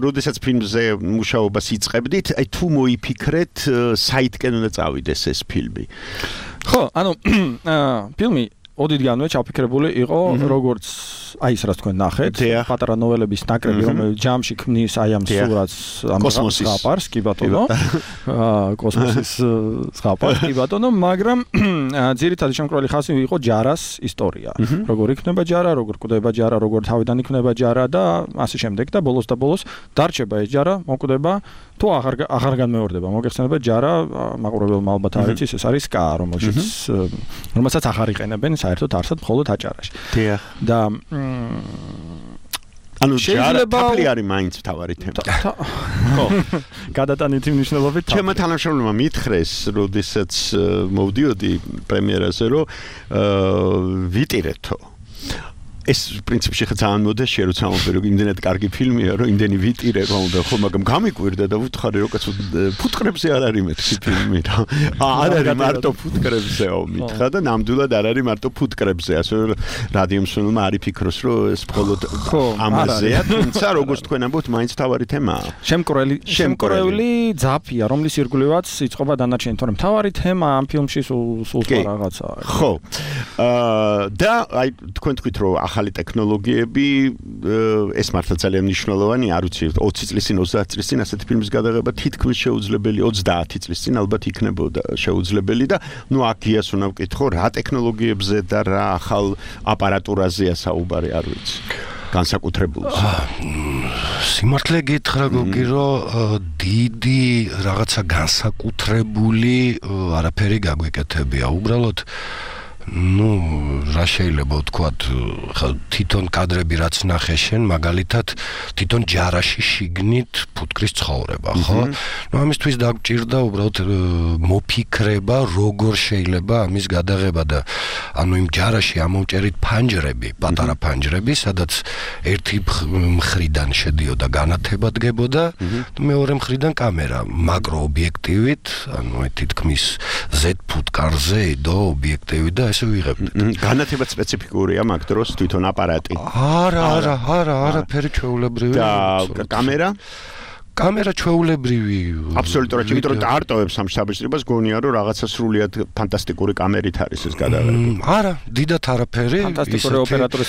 [SPEAKER 3] როდესაც ფილმზე მუშაობას იწყებდით, აი თუ მოიფიქრეთ საითკენ უნდა წავიდეს ეს ფილმი.
[SPEAKER 7] ხო, ანუ ფილმი ოდითგანვე ჩაფიქრებული იყო როგორც აი ეს რაც თქვენ ნახეთ, პატარა ნოველების ნაკრები, რომელიც ჯამში ქმნის აი ამ სურათს, ამ ზღაპარს, კი ბატონო. კოსმოსის ზღაპარს, კი ბატონო, მაგრამ ძირითადი შემკრალი ხაზი იყო ჯარას ისტორია. როგორ იქნება ჯარა, როგორ კვდება ჯარა, როგორ თავიდან იქნება ჯარა და ასე შემდეგ და ბოლოს დარჩება ეს ჯარა, მოკვდება თუ აღარ განმეორდება. მოგეხსენებათ ჯარა, მაყურებელმა ალბათ არ იცის, ეს არის სკა, რომელსაც აღარ იყენებენ საერთოდ არსად მხოლოდ აჭარაში.
[SPEAKER 3] დიახ.
[SPEAKER 7] და
[SPEAKER 3] ანუ ჯარაფალი არის მაინც თავარი თემა.
[SPEAKER 7] ხო. გადატანითი მნიშვნელობით.
[SPEAKER 3] ჩემმა თანამშრომლებმა მითხრეს, როდესაც მოვდიოდი პრემიერაზე, რომ ვიტირეთო. ეს პრინციპში ხა ძალიან მოდაშია, რომ სამომფე რომ იმდენად კარგი ფილმია, რომ იმდენი ვიტირება უნდა, ხო, მაგრამ გამიკვირდა და ვუთხარი, რომ კაცო ფუტკრებზე არ არის მეთქი ფილმი რა. არ არის მარტო ფუტკრებზეო მითხრა და ნამდვილად არ არის მარტო ფუტკრებზე, ასე რომ რადიო მსმენელმა არ იფიქროს, რომ ეს მხოლოდ ამაზეა, თუმცა როგორც თქვენ ამბობთ, მაინც თავარი თემაა.
[SPEAKER 7] შემკრეული ძაფია, რომლის ირგვლივაც იწყობა დანარჩენი, თორემ თავარი თემა ამ ფილმში სულ რაღაცაა.
[SPEAKER 3] ხო. და აი თქვენ თქვით, რომ ახალი ტექნოლოგიები ეს მართლა ძალიან მნიშვნელოვანი, არ ვიცი 20 წლის წინ 30 წლის წინ ასეთი ფილმის გადაღება თითქმის შეუძლებელი 30 წლის წინ ალბათ იქნებოდა შეუძლებელი და ნუ აქ გიას უნდა ვკითხო რა ტექნოლოგიებზე და რა ახალ აპარატურაზეა საუბარი, არ ვიცი განსაკუთრებულს.
[SPEAKER 8] სიმართლე გითხრა გოგი, რომ დიდი რაღაცა განსაკუთრებული არაფერი გაგვეკეთებია. უბრალოდ ну, რა შეიძლება ვთქვათ, თვითონ კადრები რაც ნახე შენ, მაგალითად, თვითონ ჯარაში შიგნით ფუტკრის ცხოვრება, ხო? ну, ამისთვის დაგჭირდა უბრალოდ მოფიქრება, როგორ შეიძლება ამის გადაღება და ანუ იმ ჯარაში ამოვჭერით ფანჯრები, პატარა ფანჯრები, სადაც ერთი მხრიდან შედიოდა განათება დგებოდა, მეორე მხრიდან კამერა, მაკრო ობიექტივით, ანუ თითქმის Z ფუტკარზე იდო ობიექტივი და
[SPEAKER 3] განათება სპეციფიკურია მაგ დროს თვითონ აპარატი.
[SPEAKER 8] არა, არაფერი ჩვეულებრივი.
[SPEAKER 3] და კამერა?
[SPEAKER 8] კამერა ჩვეულებრივი.
[SPEAKER 3] აბსოლუტურად, იმიტომ რომ არტოვებს ამ საბჭოებას გონია რომ რაღაცა სრულიად ფანტასტიკური კამერით არის ეს გადაღებული.
[SPEAKER 8] არა, დიდათ არაფერი.
[SPEAKER 7] ფანტასტიკური ოპერატორის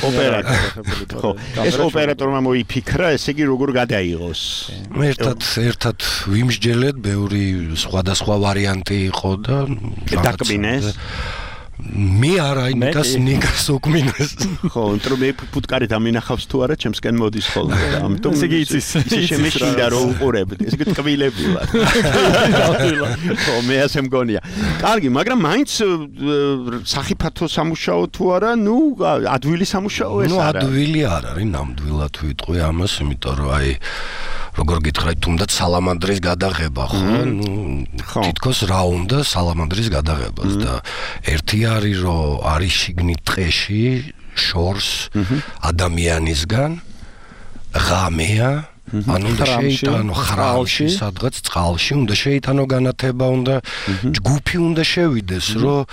[SPEAKER 3] ხო, ეს ოპერატორმა მოიფიქრა, ესე იგი როგორ გადაიღოს.
[SPEAKER 8] ერთად ვიმსჯელეთ, ბევრი სხვადასხვა ვარიანტი იყო და
[SPEAKER 3] დაკბინეს.
[SPEAKER 8] მე არა, ნიკას უკმინეს.
[SPEAKER 3] ხო, იმიტომ მე ფუტკარით ამინახავს თუ არა, ჩემსკენ მოდის ხოლმე. ამიტომ
[SPEAKER 7] ესე იგი იცის.
[SPEAKER 3] ისე შემეშინდა რომ უყურებდი. ესე იგი ტკბილებილა. ხო, მე ასე მგონია. კარგი, მაგრამ მაინც სახიფათო სამუშაო თუ არა, ნუ ადვილი სამუშაო ეს არა.
[SPEAKER 8] ნუ ადვილი არ არის, ნამდვილად ვიტყვი ამას, იმიტომ რომ აი როგორ გითხრათ, თუნდაც სალამანდრის გადაღება, ხო? თითქოს რა უნდა სალამანდრის გადაღებას და ერთი არის რომ არის შიგნით ტყეში შორს ადამიანისგან ღამეა ანუ უნდა შეიტანო ხრალში სადღაც წყალში უნდა შეიტანო განათება უნდა ჯგუფი უნდა შევიდეს რომ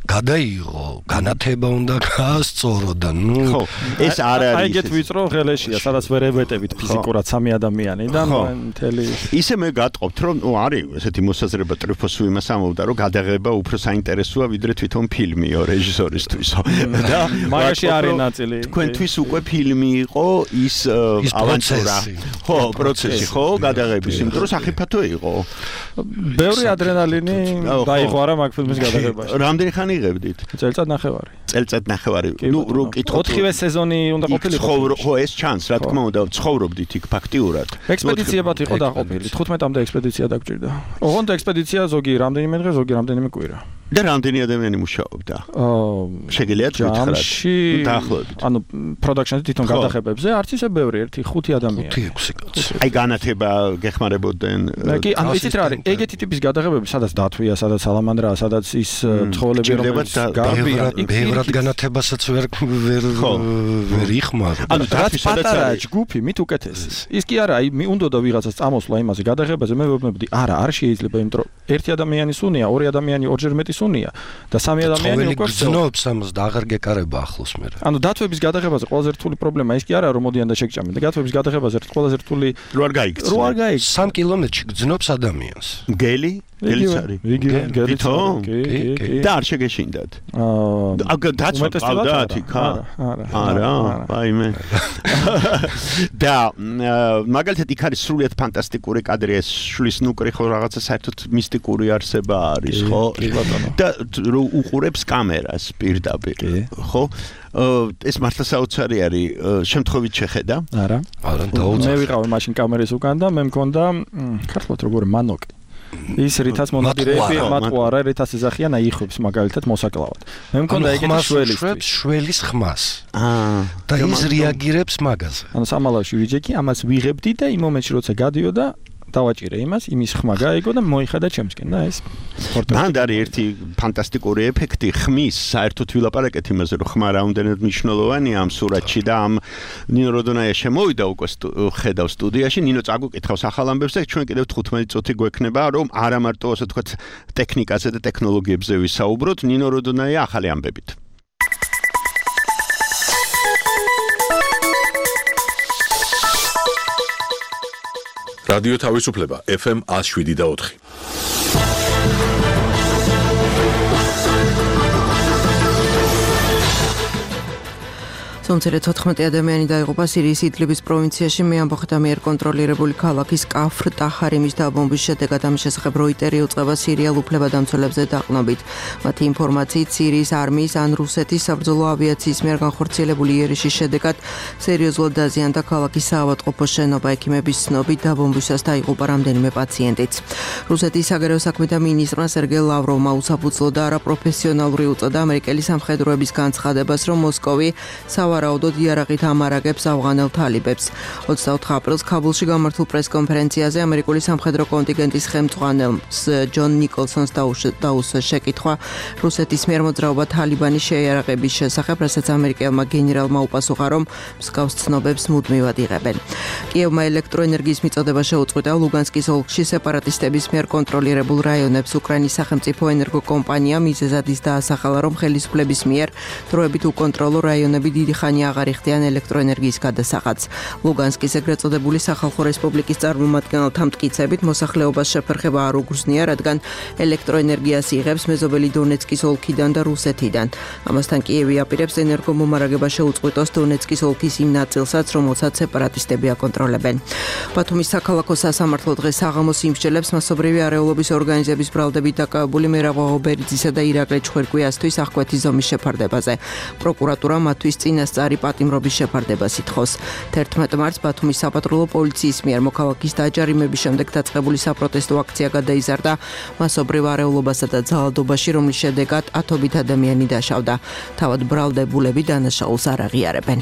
[SPEAKER 8] გადაიღო განათება უნდა გაასწორო და ნუ
[SPEAKER 3] ხო ეს არ არის
[SPEAKER 7] აი ეგეთ ვიწრო ღელეშია სადაც ვერ ებეტებით ფიზიკურად სამი ადამიანი და მთელი
[SPEAKER 3] ისე მე გატყობთ რომ ნუ არის ესეთი მოსაზრება ტრიფოსუ იმას ამობდა რომ გადაღება უფრო საინტერესოა ვიდრე თვითონ ფილმიო რეჟისორისთვის და
[SPEAKER 7] მაგაში არის ნაწილი
[SPEAKER 3] თქვენთვის უკვე ფილმი იყო ის ავანტურა ხო პროცესი ხო გადაღების იმიტომ რომ საფათო იყო
[SPEAKER 7] ბევრი ადრენალინი დაიღვარა მაგ ფილმის გადაღებაში
[SPEAKER 3] რამდენი ხანი იღებდით?
[SPEAKER 7] წელწად-ნახევარი.
[SPEAKER 3] წელწად-ნახევარი. ნუ რო კითხოთ
[SPEAKER 7] 4-ვე სეზონი უნდა ყოფილიყო.
[SPEAKER 3] ხო, ეს ჩანს, რა თქმა უნდა, ცხოვრობდით იქ ფაქტიურად.
[SPEAKER 7] ექსპედიციებად იყო დაყოფილი. 15-მდე ექსპედიცია დაგჭირდა. ოღონდ ექსპედიცია ზოგი რამდენიმე დღე, ზოგი რამდენიმე კვირა.
[SPEAKER 3] და რამდენი ადამიანი მუშაობდა? შეგიძლიათ გითხრათ? დაახლოებით.
[SPEAKER 7] ანუ პროდაქშენში თვითონ გადაღებებზე არც ისე ბევრი, 1-5 ადამიანი.
[SPEAKER 8] 5-6 კაცი.
[SPEAKER 3] აი განათება გეხმარებოდნენ.
[SPEAKER 7] კი, ანუ იცით რა არის? ეგეთი ტიპის გადაღებები, სადაც დათვია, სადაც სალამანდრაა, სადაც ის ცხოველები რომელიც
[SPEAKER 8] გარბიან, ბევრად განათებასაც ვერ იხმარ.
[SPEAKER 7] ანუ რაც პატარა ჯგუფი, მით უკეთესი. ის კი არა, აი უნდოდა ვიღაცას წამოსვლა იმაზე გადაღებაზე, მე ვებნებდი, არა, არ შეიძლება, იმიტომ რომ ერთი ადამიანი სუნია, ორი ადამიანი ორჯერ მეტი სუნია და სამი ადამიანი უკვე
[SPEAKER 8] გზნობს ამას და აღარ გეკარება ახლოს მე.
[SPEAKER 7] ანუ დათვების გადაღებაზე ყველაზე რთული პრობლემა ის კი არა რომ მოდიან და შეგჭამენ და დათვების გადაღებაზე ყველაზე რთული
[SPEAKER 3] რო არ გაიქცნენ.
[SPEAKER 7] რო არ გაიქცნენ.
[SPEAKER 8] 3 კილომეტრში გზნობს ადამიანს.
[SPEAKER 3] გელი? გელიც არის.
[SPEAKER 7] გითო?
[SPEAKER 3] და არ შეგეშინდათ. დაცვა ყავდათ იქ? არა. აი მე. და მაგალითად იქ არის სრულიად ფანტასტიკური კადრი ეს შლის ნუკრი ხო რაღაცა საერთოდ მისტიკური არსება არის ხო? და რო უყურებს კამერას პირდაპირ ხო? ეს მართლა საოცარი არის შემთხვევით შეხედა?
[SPEAKER 7] არა. მე ვიყავი მაშინ კამერის უკან და მე მქონდა ქართულად როგორ მანოკი. ის რითაც მონადირეები მატყუარა რითაც ეძახიან აიხობს მაგალითად მოსაკლავად. მე მქონდა ეგეთი
[SPEAKER 8] შველის ხმას. და ის რეაგირებს მაგაზე.
[SPEAKER 7] ანუ სამალავში ვიჯექი, ამას ვიღებდი და იმ მომენტში როცა გადიოდა დავაჭირე იმას, იმის ხმა გაიგო და მოიხადა ჩემსკენ და ეს
[SPEAKER 3] მანდ არის ერთი ფანტასტიკური ეფექტი ხმის, საერთოდ ვილაპარაკეთ იმაზე, რომ ხმა რამდენად მნიშვნელოვანია ამ სურათში და ამ ნინო როდონაია შემოვიდა უკვე ხედავ სტუდიაში, ნინო წაგუკითხავს ახალ ამბებს და ჩვენ კიდევ 15 წუთი გვექნება, რომ არა მარტო ასე თქვა ტექნიკაზე და ტექნოლოგიებზე ვისაუბროთ, ნინო როდონაია ახალი ამბებით.
[SPEAKER 1] რადიო თავისუფლება FM 107.4.
[SPEAKER 9] სომცერე 14 ადამიანი დაიღუპა სირიის იდლიბის პროვინციაში მეამბოხთა მიერ კონტროლირებული ქალაქის კაფრ ტაჰარიმის დაბომბვის შედეგად ამ შესახებ როიტერი უწყება სირიელ უფლებადამცველებზე დაყნობით. მათი ინფორმაციით სირიის არმიის ან რუსეთის საბრძოლო ავიაციის მიერ განხორციელებული იერიში შედეგად სერიოზულად დაზიანდა ქალაქის საავადმყოფო შენობა. ექიმების ცნობით დაბომბვისას დაიღუპა რამდენიმე პაციენტიც. რუსეთის საგარეო საქმეთა მინისტრმა სერგეი ლავროვმა უსაფუძვლო და არაპროფესიონალური უწოდა ამერიკელი სამხედროების განცხადებას, რომ მოსკოვი სავარაუდოდ იარაღით ამარაგებს ავღანელ თალიბებს. 24 აპრილს ქაბულში გამართულ პრესკონფერენციაზე ამერიკული სამხედრო კონტინგენტის ხელმძღვანელს ჯონ ნიკოლსონს დაუსვა შეკითხვა რუსეთის მიერ მოძრაობა თალიბანის შეიარაღების შესახებ, რასაც ამერიკელმა გენერალმა უპასუხა, რომ მსგავს ცნობებს მუდმივად იღებენ. კიევმა ელექტროენერგიის მიწოდება შეუწყვეტა ლუგანსკის ოლქში სეპარატისტების მიერ კონტროლირებულ რაიონებს. უკრაინის სახელმწიფო ენერგო კომპანია მიზეზად ის დაასახალა, რომ ხელისუფლების მიერ დროებით უკონტროლო რაიონები დიდი ხანი ხანი აღარ იხდიან ელექტროენერგიის გადასაღადს. ლუგანსკის ეგრეთ წოდებული სახალხო რესპუბლიკის წარმომადგენელთა მტკიცებით მოსახლეობას შეფერხება არ უგრძნია, რადგან ელექტროენერგიას იღებს მეზობელი დონეცკის ოლქიდან და რუსეთიდან. ამასთან კიევი აპირებს ენერგომომარაგება შეუწყვეტოს დონეცკის ოლქის იმ ნაწილსაც, რომელსაც სეპარატისტები აკონტროლებენ. ბათუმის საქალაქო სასამართლო დღეს საღამოს იმსჯელებს მასობრივი არეულობის ორგანიზების ბრალდებით დაკავებული მერაბ ობერიძისა და ირაკლი ჩხვირკვიასთვის აღკვეთი ზომის შეფარდებაზე. პროკურატურა მათთვის წინასწარი პატიმრობის შეფარდებას ითხოვს. 11 მარტს ბათუმის საპატრულო პოლიციის მიერ მოქალაქის დაჯარიმების შემდეგ დაწყებული საპროტესტო აქცია გადაიზარდა მასობრივ არეულობასა და ძალადობაში, რომლის შედეგად ათობით ადამიანი დაშავდა. თავად ბრალდებულები დანაშაულს არ აღიარებენ.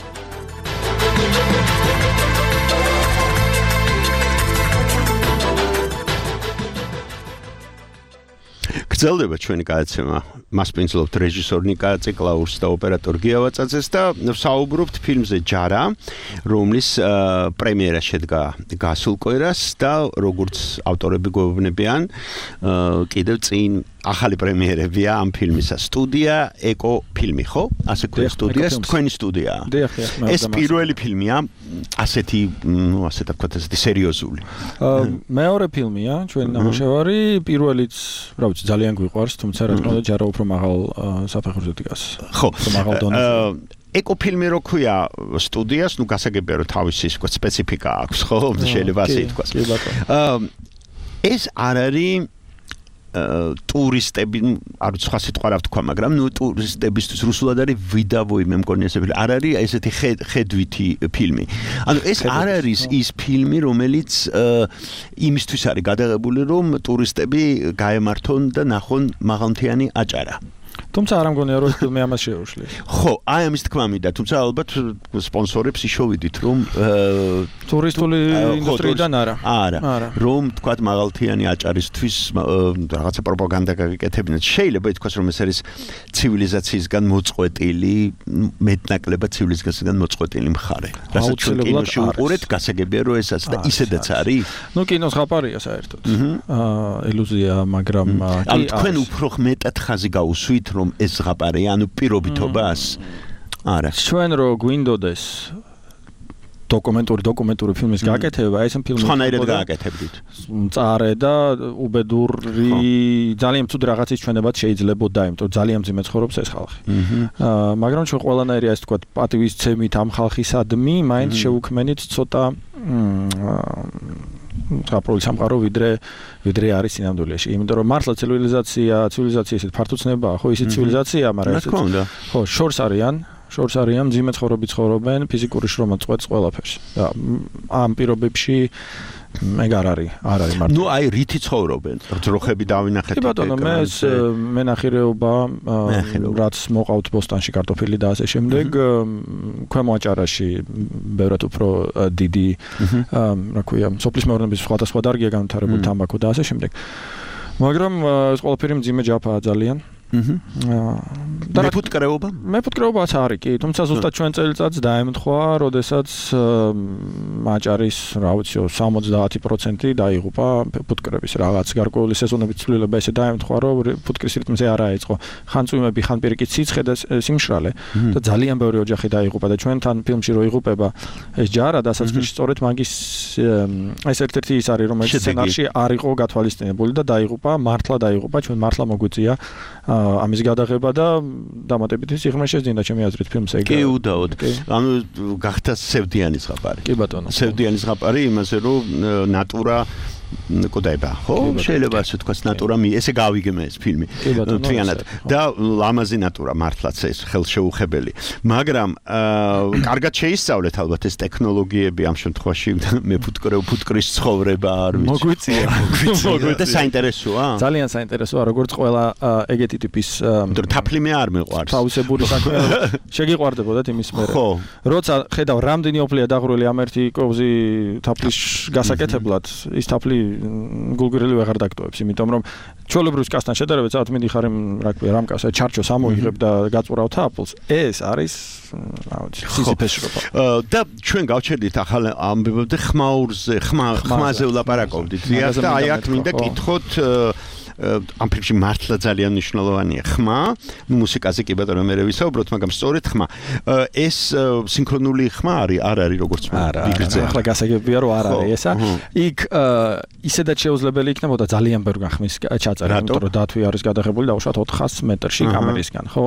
[SPEAKER 3] გრძელდება ჩვენი გადაცემა. მასპინძლობთ რეჟისორ ნიკა ციკლაურს და ოპერატორ გია ვაწაძეს და საუბრობთ ფილმზე ჯარა, რომლის პრემიერა შედგა გასულ კვირას და როგორც ავტორები გვეუბნებიან, კიდევ წინ ახალი პრემიერებია ამ ფილმისა. სტუდია ეკო ფილმი, ხო? ასე ქვია სტუდია, თქვენი სტუდიაა. ეს პირველი ფილმია, ასეთი, ასე თქვათ, ასეთი სერიოზული.
[SPEAKER 7] მეორე ფილმია, ჩვენი ნამუშევარი, პირველიც, რა ვიცი, ძალიან გვიყვარს, თუმცა რა თქმა უნდა ჯარა უფრო მაღალ საფეხურზე დგას.
[SPEAKER 3] ხო,
[SPEAKER 7] მაღალ დონეზე.
[SPEAKER 3] ეკო ფილმი რო ქვია სტუდიას, ნუ გასაგებია რომ თავისი სპეციფიკა აქვს, ხო? შეიძლება ასე ითქვას. ეს არ არის ტურისტები, არ ვიცი სხვა სიტყვა რა ვთქვა, მაგრამ ნუ ტურისტებისთვის რუსულად არის ვიდავოი, მე მგონი ესე ფილმი. არ არის ესეთი ხედვითი ფილმი. ანუ ეს არ არის ის ფილმი, რომელიც იმისთვის არის გადაღებული, რომ ტურისტები გაემართონ და ნახონ მაღალმთიანი აჭარა.
[SPEAKER 7] თუმცა არ მგონია რომ ეს ფილმი ამას შეუშლის.
[SPEAKER 3] ხო, აი ამის თქმა მინდა, თუმცა ალბათ სპონსორებს იშოვიდით, რომ
[SPEAKER 7] ტურისტული ინდუსტრიიდან
[SPEAKER 3] არა, რომ თქვათ მაღალმთიანი აჭარისთვის რაღაცა პროპაგანდა გაკეთებინათ. შეიძლება ითქვას, რომ ეს არის ცივილიზაციისგან მოწყვეტილი, მეტნაკლებად ცივილიზაციისგან მოწყვეტილი მხარე. რასაც ჩვენ კინოში უყურეთ, გასაგებია რომ ეს ასე და ისედაც არის.
[SPEAKER 7] ნუ კინოს ხაპარია საერთოდ. ილუზია, მაგრამ
[SPEAKER 3] ანუ თქვენ უფრო მეტად ხაზი გაუსვით რომ ეს ზღაპარია, ანუ პირობითობას არა.
[SPEAKER 7] ჩვენ რო გვინდოდეს დოკუმენტური ფილმის გაკეთება, ეს ფილმი
[SPEAKER 3] სხვანაირად გააკეთებდით.
[SPEAKER 7] მწარე და უბედური ძალიან ცუდ რაღაცის ჩვენებად შეიძლებოდა, იმიტომ რომ ძალიან მძიმე ცხოვრობს ეს ხალხი. მაგრამ ჩვენ ყველანაირი ასე თქვა პატივისცემით ამ ხალხისადმი, მაინც შევუქმენით ცოტა აპროლის სამყარო ვიდრე არის სინამდვილეში. იმიტომ რომ მართლა ცივილიზაცია ისეთ ფართოცნებაა, ხო, ისეთ ცივილიზაცია, მაგრამ
[SPEAKER 3] რა თქმა უნდა.
[SPEAKER 7] ხო, შორს არიან, მძიმე ცხოვრობით ცხოვრობენ, ფიზიკური შრომა წყვეტს ყველაფერს. და ამ პირობებში ეგ არ არის მარტო.
[SPEAKER 3] ნუ აი რითი ცხოვრობენ? ძროხები დავინახეთ.
[SPEAKER 7] კი ბატონო, მე ეს მენახირეობა, რაც მოყავთ ბოსტანში კარტოფილი და ასე შემდეგ, ქვემო აჭარაში ბევრად უფრო დიდი, რა ქვია, სოფლის მეურნეობის სხვადასხვა დარგია განვითარებული, თამბაქო და ასე შემდეგ. მაგრამ ეს ყველაფერი მძიმე ჯაფაა ძალიან. მეფუტკრეობაც არის კი, თუმცა ზუსტად ჩვენ წელიწადს დაემთხვა, როდესაც აჭარის, რა ვიცი, 70% დაიღუპა ფუტკრების რაღაც გარკვეული სეზონების ცვლილება ესე დაემთხვა, რომ ფუტკრის რიტმზე არ აეწყო. ხან წვიმები, ხან პირიქით სიცხე და სიმშრალე და ძალიან ბევრი ოჯახი დაიღუპა და ჩვენთან ფილმში რო იღუპება ეს ჯარა დასაწყისში სწორედ მაგის ეს ერთ-ერთი ის არის, რომელიც სცენარში არ იყო გათვალისწინებული და დაიღუპა, მართლა დაიღუპა, ჩვენ მართლა მოგვიწია ამის გადაღება და დამატებითი სიღრმე შეძინდა ჩემი აზრით ფილმს ეგ.
[SPEAKER 3] კი, უდაოდ. ანუ გახდა სევდიანი ზღაპარი.
[SPEAKER 7] კი ბატონო.
[SPEAKER 3] სევდიანი ზღაპარი იმაზე რომ ნატურა კოდაება, ხო? შეიძლება ასე თქვას ნატურა ესე გავიგე ეს ფილმი. მთლიანად და ლამაზი ნატურა მართლაც ეს ხელშეუხებელი. მაგრამ კარგად შეისწავლეთ ალბათ ეს ტექნოლოგიები ამ შემთხვევაში ფუტკრის ცხოვრება არ ვიცი.
[SPEAKER 7] მოგვიწია.
[SPEAKER 3] და საინტერესოა?
[SPEAKER 7] ძალიან საინტერესოა, როგორც ყველა ეგეთი ტიპის
[SPEAKER 3] თაფლიმე არ მეყვარს.
[SPEAKER 7] თავისებური საქმე შეგიყვარდებოდათ იმის მერე.
[SPEAKER 3] ხო.
[SPEAKER 7] როცა ხედავ რამდენი ოფლია დაღრული ამ ერთი კოვზი თაფლის გასაკეთებლად, ის თაფლი გულგრილი ვეღარ დაგტოვებს, იმიტომ რომ ჩვეულებრივ კასთან შედარებით საათ მინდიხარ რა ქვია რამკას ჩარჩოს ამოიღებ და გაწურავ თაფლს. ეს არის რა ვიცი სიციფეშრობა.
[SPEAKER 3] და ჩვენ გავჩერდით ახალ ამბებობდე ხმაზე ვლაპარაკობდით. და აი აქ მინდა კითხოთ ამ ფილმში მართლა ძალიან მნიშვნელოვანია ხმა. მუსიკაზე კი ბატონო მე ვისაუბროთ, მაგრამ სწორედ ხმა. ეს სინქრონული ხმა არ არის როგორც ვიგრძე.
[SPEAKER 7] ახლა გასაგებია რომ არ არის ესა. იქ ისედაც შეუძლებელი იქნებოდა ძალიან ბევრი ხმის ჩაწერა, იმიტომ რომ დათვი არის გადაღებული დაუშვათ 400 მეტრში კამერისგან, ხო?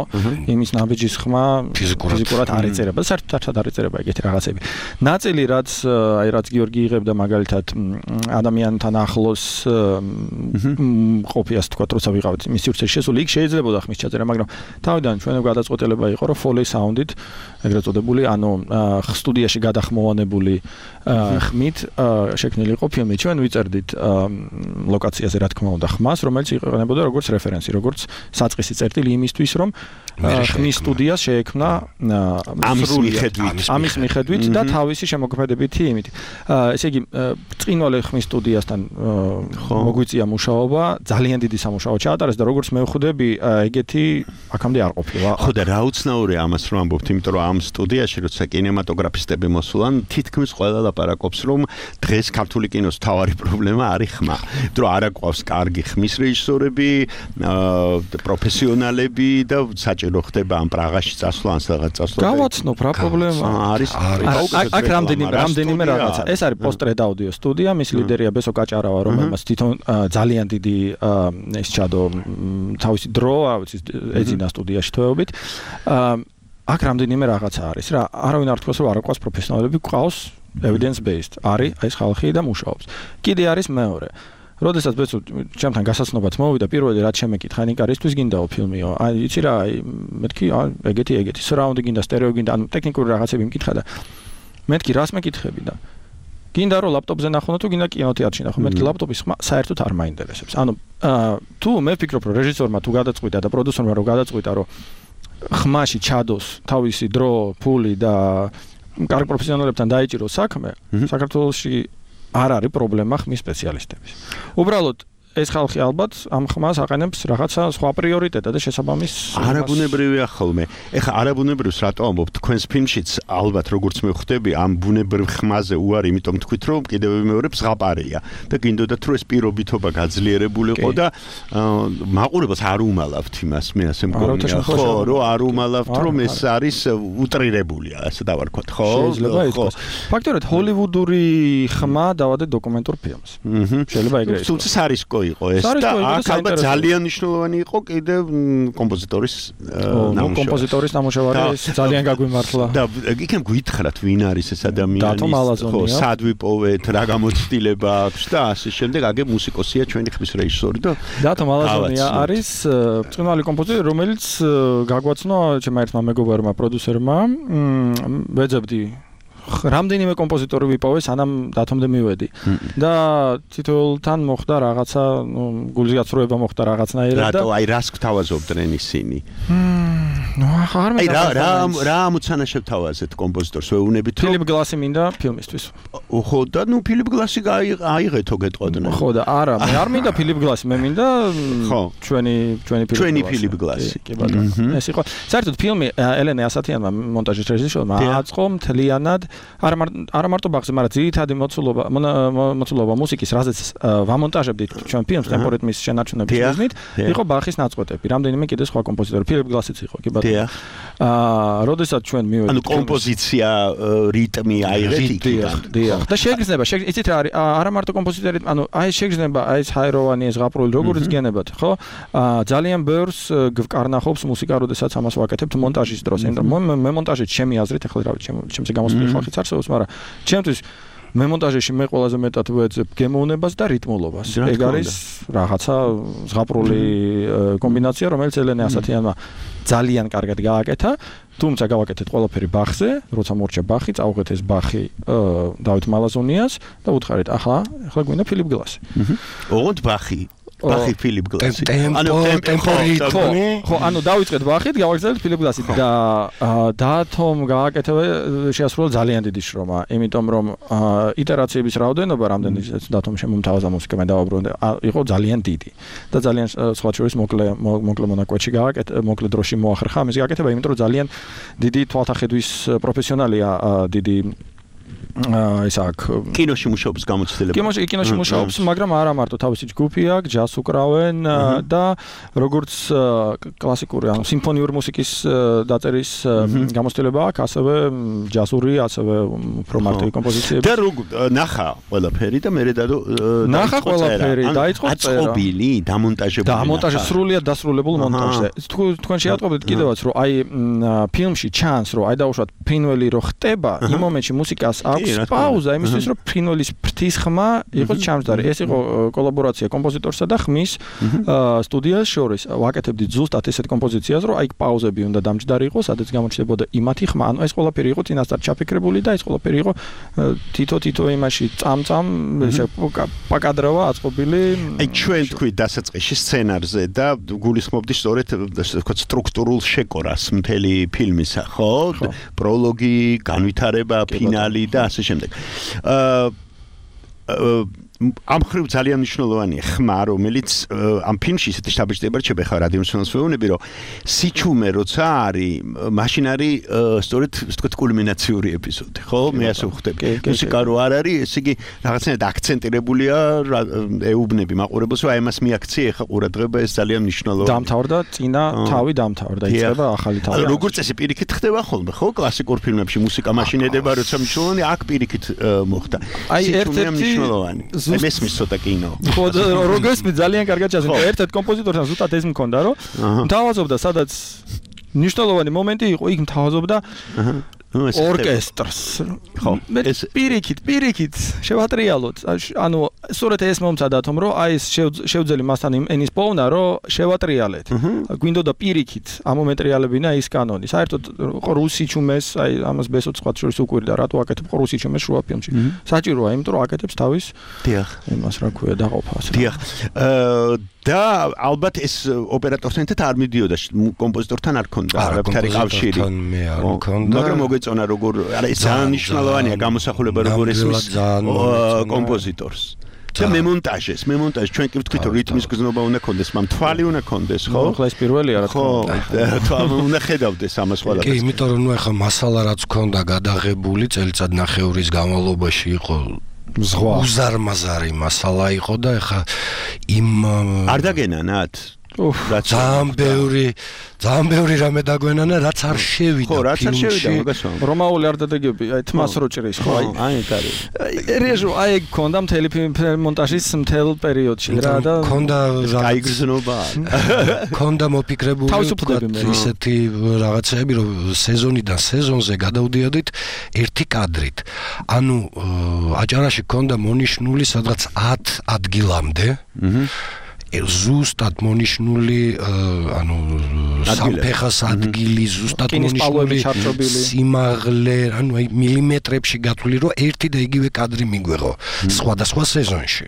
[SPEAKER 7] იმის ნაბიჯის ხმა ფიზიკურად არ იწერება, საერთოდ არ იწერება ეგეთი რაღაცები. ნაწილი რაც გიორგი იღებდა მაგალითად ადამიანთან ახლოს ყოფიას თქვა, როცა ვიყავით მის სივრცეში შესული, იქ შეიძლებოდა ხმის ჩაწერა, მაგრამ თავიდან ჩვენო გადაწყვეტილება იყო, რომ Foley sound-ით, ეგრეთ წოდებული, ანუ სტუდიაში გადახმოვანებული ხმით შექმნილი იყო ფილმი. ჩვენ ვიწერდით ლოკაციაზე რა თქმა უნდა ხმას, რომელიც იყენებოდა როგორც რეფერენსი, როგორც საწყისი წერტილი იმისთვის, რომ ხმის სტუდიას შეექმნა ამის მიხედვით და თავისი შემოქმედებითი იმით. ესე იგი, წინვალე ხმის სტუდიასთან მოგვიწია მუშაობა, ძალიან დიდი სამუშაო ჩაატარეს და როგორც მე ვხვდები, ეგეთი აქამდე არ ყოფილა.
[SPEAKER 3] ხო და რა უცნაური ამას რომ ამბობთ, იმიტომ რომ ამ სტუდიაში როცა კინემატოგრაფისტები მოსულან, თითქმის ყველა ლაპარაკობს, რომ დღეს ქართული კინოს მთავარი პრობლემა არის ხმა. იმიტომ რომ არ აკვავს კარგი ხმის რეჟისორები, პროფესიონალები და საჭირო ხდება ამ პრაღაში წასვლა, ან სადღაც წასვლა.
[SPEAKER 7] გავაცნობ რა პრობლემა არის. აქ რამდენიმე რაღაცა. ეს არის პოსტრედ აუდიო სტუდია, მის ლიდერია ბესო კაჭარავა, რომელმაც თვითონ ძალიან დიდი ეს ჩადო თავისი დრო, ეძინა სტუდიაში თვეობით. აქ რამდენიმე რაღაცა არის რა. არავინ არ თქოს რომ არ აკვას პროფესიონალები, ყავს evidence based. არის ეს ხალხი და მუშაობს. კიდე არის მეორე. როდესაც ბეცო ჩემთან გასაცნობად მოვიდა, პირველი რაც შემეკითხა, ნიკარისთვის გინდაო ფილმიო. აი, იცი რა, მეთქი, ეგეთი, surround გინდა, stereo გინდა, ანუ ტექნიკური რაღაცები მკითხა და მეთქი რას მეკითხები და გინდა რომ ლაპტოპზე ნახო თუ გინდა კინოთეატრში ნახო, მეთქი ლაპტოპის ხმა საერთოდ არ მაინტერესებს. ანუ თუ მე ვფიქრობ რომ რეჟისორმა თუ გადაწყვიტა და პროდიუსერმა რომ გადაწყვიტა რომ ხმაში ჩადოს თავისი დრო, ფული და კარგ პროფესიონალებთან დაიჭიროს საქმე, საქართველოში არ არის პრობლემა ხმის სპეციალისტების. უბრალოდ ეს ხალხი ალბათ ამ ხმას აყენებს რაღაცა სხვა პრიორიტეტად და შესაბამის
[SPEAKER 3] არაბუნებრივია ხოლმე. ეხლა არაბუნებრივს რატო ამბობთ? თქვენს ფილმშიც ალბათ როგორც მე ხვდები, ამ ბუნებრივ ხმაზე უარი, იმიტომ თქვით რომ კიდევ მეორე ზღაპარია და გინდოდათ რომ ეს პირობითობა გაძლიერებულიყო და მაყურებელს არ უმალავთ იმას, მე ასე მგონია. ხო, რომ არ უმალავთ რომ ეს არის უტრირებულია, ასე დავარქვათ, ხო?
[SPEAKER 7] შეიძლება ითქვას. ფაქტობრივად ჰოლივუდური ხმა დავადე დოკუმენტურ ფილმს. შეიძლება ეგრე ითქვას.
[SPEAKER 3] თუმცა სარისკო იყო ეს და აქ ალბათ ძალიან მნიშვნელოვანი იყო კიდევ კომპოზიტორის ნამუშევარი.
[SPEAKER 7] კომპოზიტორის ნამუშევარი ეს ძალიან გაგვიმართლა.
[SPEAKER 3] და იქნებ გითხრათ ვინ არის ეს ადამიანი? ხო, სად ვიპოვეთ, რა გამოცდილება აქვს და ასე შემდეგ. აგე მუსიკოსია ჩვენი ხმის რეჟისორი და
[SPEAKER 7] დათო მალაზონია არის ბრწყინვალე კომპოზიტორი, რომელიც გაგვაცნო ჩემმა ერთმა მეგობარმა პროდიუსერმა. ვეძებდი რამდენიმე კომპოზიტორი ვიპოვე, სანამ დათომდე მივედი. და თითოეულთან მოხდა რაღაცა, გულზე გაცრუება მოხდა რაღაცნაირად და
[SPEAKER 3] აი რას გთავაზობდნენ ისინი?
[SPEAKER 7] ნუ ახლა
[SPEAKER 3] რა ამოცანა შევთავაზეთ კომპოზიტორს, ვეუნებით რომ
[SPEAKER 7] ფილიპ გლასი მინდა ფილმისთვის.
[SPEAKER 3] ხო და ნუ ფილიპ გლასი აიღეთო გეტყოდნენ.
[SPEAKER 7] ხო და არა, მე არ მინდა ფილიპ გლასი, მე მინდა ჩვენი
[SPEAKER 3] ფილიპ გლასი.
[SPEAKER 7] კი ბატონო. ეს იყო საერთოდ ფილმი ელენე ასათიანმა მონტაჟის რეჟისორმა აწყო მთლიანად არა მარტო ბაღზე, მაგრამ ძირითადი მოცულობა მუსიკის, რაზეც ვამონტაჟებდით ჩვენ ფილმს ტემპორიტმის შენარჩუნების მიზნით, იყო ბახის ნაწყვეტები, რამდენიმე კიდე სხვა კომპოზიტორი, ფილიპ გლასიც იყო, კი ბატონო. როდესაც ჩვენ მივედით,
[SPEAKER 3] ანუ კომპოზიცია, რიტმი აიღეთ იქიდან.
[SPEAKER 7] დიახ. და შეგრძნება, იცით რა არის, არა მარტო კომპოზიტორი, ანუ აი შეგრძნება, აი ეს ჰაეროვანი, ეს ზღაპრული, როგორც გენებათ, ხო? ძალიან ბევრს გვკარნახობს მუსიკა, როდესაც ამას ვაკეთებთ მონტაჟის დროს. მე მონტაჟით ჩემი აზრით, ახლა რა ვიცი, ჩემს გამოსული ხალხიც არსებობს, მაგრამ ჩემთვის მე მონტაჟში მე ყველაზე მეტად ვეძებ გემოვნებას და რიტმულობას. ეგ არის რაღაცა ზღაპრული კომბინაცია, რომელიც ელენე ასათიანმა ძალიან კარგად გააკეთა. თუმცა გავაკეთეთ ყველაფერი ბახზე, როცა მორჩა ბახი, წავუღეთ ეს ბახი დავით მალაზონიას და უთხარით, ახლა გვინდა ფილიპ გლასი.
[SPEAKER 3] ოღონდ ბახი ფილიპ გლასი.
[SPEAKER 7] ხო, ანუ დავიწყეთ ბახით, გავაგრძელებთ ფილიპ გლასით და დათომ გააკეთებე შეასრულა ძალიან დიდი შრომა, იმიტომ რომ იტერაციების რაოდენობა, რამდენიც დათომ შემომთავაზა მუსიკა, მე დავაბრუნე, იყო ძალიან დიდი. და ძალიან სხვა შორის მოკლე მონაკვეთში გააკეთე, მოკლე დროში მოახერხა ამის გააკეთება, იმიტომ რომ ძალიან დიდი თვალთახედვის პროფესიონალია, დიდი ის აქ
[SPEAKER 3] კინოში მუშაობს გამოცდილება.
[SPEAKER 7] კინოში მუშაობს, მაგრამ არა მარტო თავისი ჯგუფი აქვს, ჯაზს უკრავენ და როგორც კლასიკური, ანუ სიმფონიური მუსიკის დაწერის გამოცდილება აქვს, ასევე ჯაზური, ასევე უფრო მარტივი კომპოზიციები.
[SPEAKER 3] და ნახა ყველაფერი და მე დადო
[SPEAKER 7] ნახა ყველაფერი, დაიწყო წერა.
[SPEAKER 3] აწყობილი, დამონტაჟებული.
[SPEAKER 7] დამონტაჟი სრულიად დასრულებულ მონტაჟზე. თქვენ შეატყობთ კიდევაც, რომ აი ფილმში ჩანს, რომ აი დაუშვათ ფრინველი რო ხტება, იმ მომენტში მუსიკას აქვს პაუზა, იმისთვის რომ ფრინველის ფრთის ხმა იყოს ჩამჯდარი. ეს იყო კოლაბორაცია კომპოზიტორსა და ხმის სტუდიას შორის. ვაკეთებდით ზუსტად ესეთ კომპოზიციას, რომ აი პაუზები უნდა დამჯდარი იყოს, სადაც გამოჩნდებოდა იმათი ხმა. ანუ ეს ყველაფერი იყო წინასწარ ჩაფიქრებული და ეს ყველაფერი იყო თითო იმაში წამწამ ესე პაკადროვა აწყობილი.
[SPEAKER 3] აი ჩვენ თქვით დასაწყისში სცენარზე და გულისხმობდი სწორედ თქო სტრუქტურულ შეკორას მთელი ფილმისა, ხო? პროლოგი, განვითარება, ფინალი და ასე შემდეგ. ამ ხრივ ძალიან მნიშვნელოვანია ხმა, რომელიც ამ ფილმში ისეთი შთაბეჭდება რჩება ხა რადიო მსმენელს ვეუბნები, რომ სიჩუმე როცა არის, მაშინ არის სწორედ ისე ვთქვათ კულმინაციური ეპიზოდი, ხო? მე ასე ვხვდები. მუსიკა რო არ არის, ესე იგი რაღაცნაირად აქცენტირებულია ეუბნები მაყურებელს, რომ აი ამას მიაქცია ხა ყურადღება, ეს ძალიან მნიშვნელოვანია.
[SPEAKER 7] დამთავრდა, წინა თავი დამთავრდა, იწყება ახალი თავი.
[SPEAKER 3] როგორც წესი პირიქით ხდება ხოლმე, ხო? კლასიკურ ფილმებში მუსიკა მაშინ ედება, როცა მნიშვნელოვანი აქ პირიქით მოხდა.
[SPEAKER 7] აი ერთ-ერთი
[SPEAKER 3] მნიშვნელოვანი მესმის ცოტა კინო.
[SPEAKER 7] ხო, როგორც მე ძალიან კარგად ჩასწრა. ერთ-ერთ კომპოზიტორთან ზუსტად ეს მქონდა, რომ მთავაზობდა, სადაც მნიშვნელოვანი მომენტი იყო, იქ მთავაზობდა ორკესტრს.
[SPEAKER 3] ხო,
[SPEAKER 7] ეს პირიქით შევატრიალოთ. ანუ სწორედ ეს მომცადათომ, რომ აი ეს შევძელი მასთან ენის პოვნა, რომ შევატრიალეთ. გვინდოდა პირიქით ამომეტრიალებინა ის კანონი. საერთოდ რუსი ჩუმეს, აი ამას ბესოც სხვა შორის უკვირდა, რატო აკეთებ რუსი ჩუმეს შუა ფილმში. საჭიროა, იმიტომ რომ აკეთებს თავის
[SPEAKER 3] დიახ,
[SPEAKER 7] იმას რა ქვია დაყოფას.
[SPEAKER 3] დიახ. და ალბათ ეს ოპერატორთან ერთად არ მიდიოდა კომპოზიტორთან არ ქონდა არაფერი კავშირი. მაგრამ მოგეწონა როგორ არა ეს ძალიან მნიშვნელოვანია გამოსახულება როგორ ესმის კომპოზიტორს. და მემონტაჟი ჩვენ კი ვთქვით რომ რიტმის გზნობა უნდა ქონდეს, მაგრამ თვალი უნდა ქონდეს, ხო?
[SPEAKER 7] ხო, ეს პირველია რა თქმა უნდა.
[SPEAKER 3] ხო, თვალი უნდა ხედავდეს ამას ყველაფერს.
[SPEAKER 8] კი, იმიტომ რომ ნუ ახლა მასალა რაც ქონდა გადაღებული წელიწად ნახევრის განმავლობაში იყო ზღვა უზარმაზარი მასალა იყო და ახლა იმ
[SPEAKER 3] არ დაგენანათ
[SPEAKER 8] ძალიან ბევრი რამე დაგვენანა, რაც არ შევიდა.
[SPEAKER 3] ხო, რაც არ შევიდა, მოგესალმებით.
[SPEAKER 7] რომაული არ დადეგები, აი თმას რო ჭრის, ხო?
[SPEAKER 3] აი კარი.
[SPEAKER 7] რეჟო, აი ქონდა მთელი მონტაჟის მთელ პერიოდში რა და
[SPEAKER 3] ქონდა გაიგრძნობა.
[SPEAKER 8] ქონდა მოფიქრებული ისეთი რაღაცები, რომ სეზონიდან სეზონზე გადავდიოდით ერთი კადრით. ანუ აჭარაში ქონდა მონიშნული სადღაც 10 ადგილამდე. ზუსტად მონიშნული ანუ სამფეხას ადგილი ზუსტად მონიშნული სიმაღლე ანუ აი მილიმეტრებში გათვლილი რომ ერთი და იგივე კადრი მიგვეღო სხვადასხვა სეზონში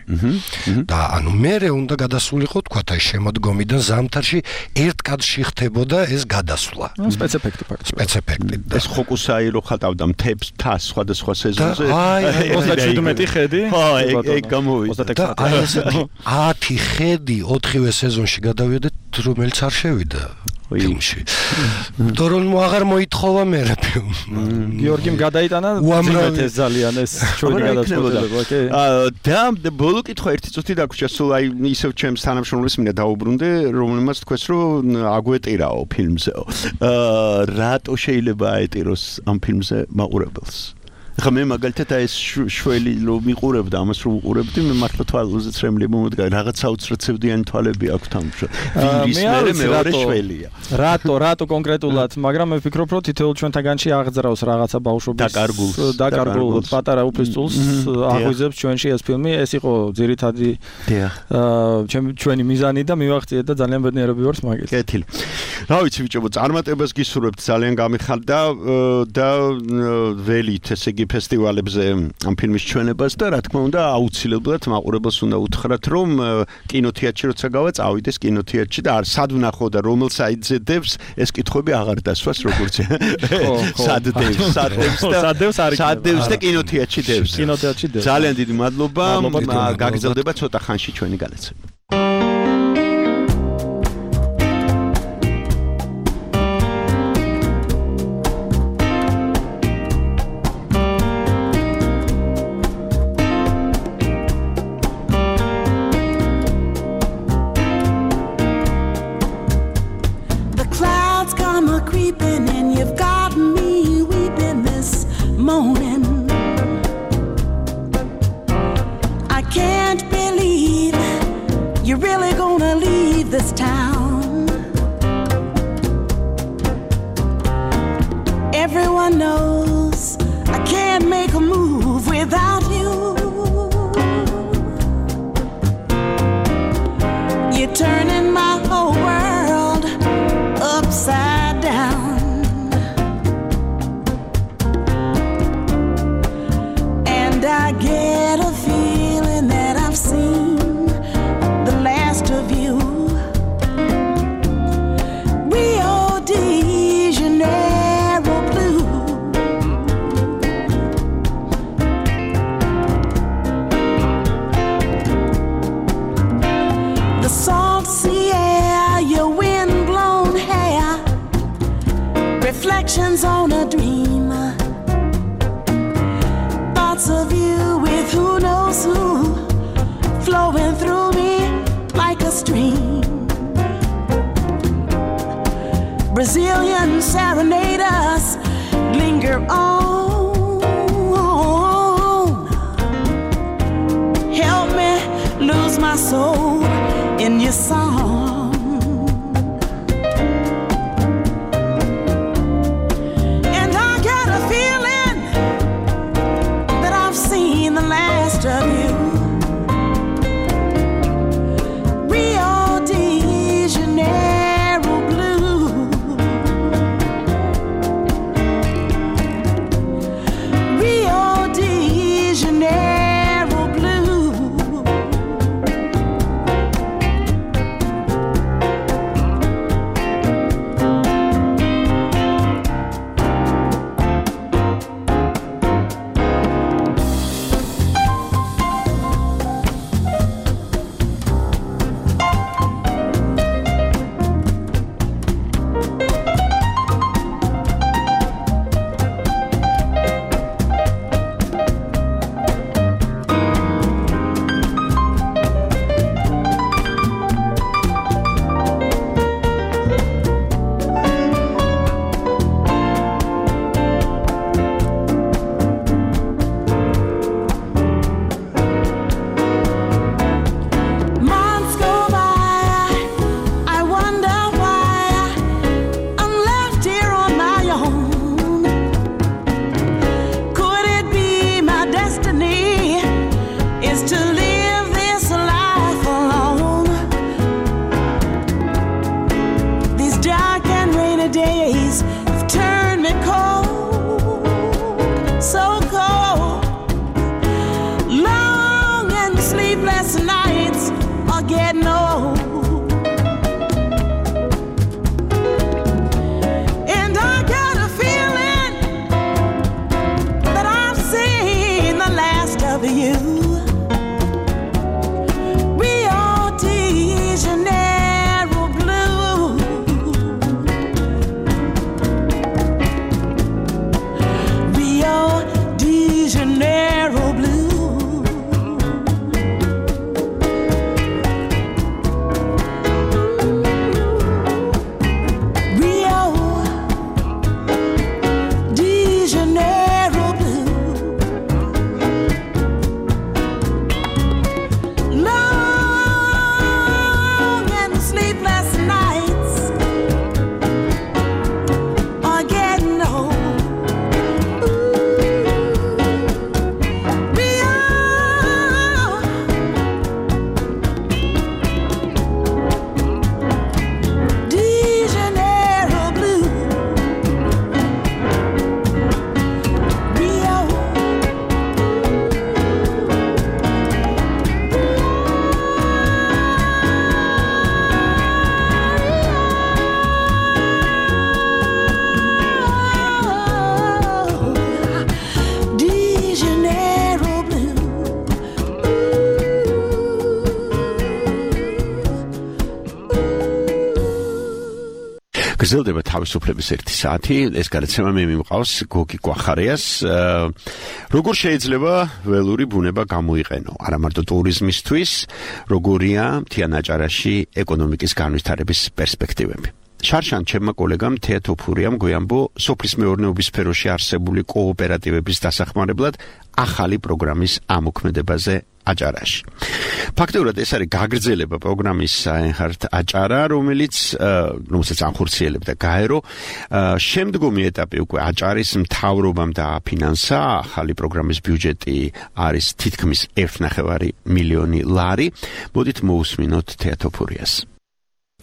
[SPEAKER 8] და ანუ მერე უნდა გადასულიყო თქვათ აი შემოდგომიდან ზამთარში ერთ კადრში ხდებოდა ეს გადასვლა
[SPEAKER 7] სპეციფექტი ფაქტი
[SPEAKER 8] სპეციფექტი
[SPEAKER 3] ეს ხოკუსაი რო ხატავდა მთებს თას სხვადასხვა სეზონზე
[SPEAKER 7] აი 37 ხედი
[SPEAKER 3] ხო ეგ გამოვიდა
[SPEAKER 8] და აი ესეთი 10 ხედი 4-ვე სეზონში გადავიდეთ, რომელიც არ შევიდა ფილმში. თორემ აღარ მოითხოვა მე რა ფილმი.
[SPEAKER 7] გიორგიმ გადაიტანა ძიმეთეს ძალიან ეს ჩვენი გადაწყვეტილება, ოკეი.
[SPEAKER 3] და ბოლო კითხვა ერთი წუთი დაგვრჩა, სულ აი ისევ ჩემს თანამშრომლებს მინდა დაუბრუნდე, რომელმაც თქვეს რომ აგვეტირაო ფილმზეო. რატო შეიძლება აეტიროს ამ ფილმზე მაყურებელს? ხა მე მაგალითად ეს შველი რომ მიყურებდა ამას რომ უყურებდი მე მართლა თვალოზეც რემლი მომდგა რაღაც საოცრაცევდიანი თვალები აქვს თამაშა ვირის მეორე შველია
[SPEAKER 7] რატო კონკრეტულად მაგრამ მე ვფიქრობ რომ თითოეულ ჩვენთაგანში აღძრავს რაღაცა ბავშვობის დაკარგულ პატარა უფლისწულს აღვიძებს ჩვენში ეს ფილმი ეს იყო ძირითადი ჩვენი მიზანი და მივახციეთ და ძალიან ბედნიერები ვართ მაგით
[SPEAKER 3] კეთილი რა ვიცი ბიჭო წარმატებას გისურვებთ ძალიან გამიხარდა და ველით ესე იგი ფესტივალებზე ამ ფილმის ჩვენებას და რა თქმა უნდა აუცილებლად მაყურებელს უნდა უთხრათ რომ კინოთეატრში როცა გავა წავიდეს კინოთეატრში და არ სად ვნახო და რომელ საიტზე დევს ეს კითხვები აღარ დასვას როგორც სად დევს და კინოთეატრში დევს ძალიან დიდი მადლობა გაგრძელდება ცოტა ხანში ჩვენი განაცემა
[SPEAKER 10] creeping and you've got me weeping this morning. I can't believe you're really gonna leave this town. Everyone knows I can't make a move without you. You're turning my whole world upside down. And I get a feeling that I've seen the last of you. Rio de Janeiro blue. The salt sea air, your wind-blown hair, reflections on a dream, thoughts of you with who knows who, flowing through me like a stream. Brazilian serenaders linger on. Help me lose my soul in your song. And I got a feeling that I've seen the last of you. Rio de Janeiro blue. Rio de Janeiro blue. Months go by, I wonder why I'm left here on my own. Could it be my destiny is to live this life alone? These dark and rainy days have turned me cold, so cold. Long and sleepless nights are getting old. And I got a feeling that I've seen the last of you. Rio de Janeiro blue. Rio de Janeiro blue. Rio de Janeiro blue. Long and sleepless nights are getting old. Rio de Janeiro blue. Rio. De Janeiro blue.
[SPEAKER 3] გრძელდება თავისუფლების 1 საათი. ეს გადაცემა მე მიმყავს გოგი კვახარიას. როგორ შეიძლება ველური ბუნება გამოიყენო? არა მარტო ტურიზმისთვის, როგორია მთიან აჭარაში ეკონომიკის განვითარების პერსპექტივები. შარშან ჩემმა კოლეგამ თეატოფურიამ გვიამბო სოფლის მეურნეობის სფეროში არსებული კოოპერატივების დასახმარებლად ახალი პროგრამის ამოქმედებაზე აჭარაში. ფაქტობრივად ეს არის გაგრძელება პროგრამის საენხართ აჭარა, რომელსაც ანხორციელებდა გაერო. შემდგომი ეტაპი უკვე აჭარის მთავრობამ დააფინანსა, ახალი პროგრამის ბიუჯეტი არის თითქმის 1.5 მილიონი ლარი. მოდით მოусმინოთ თეატოფურიას.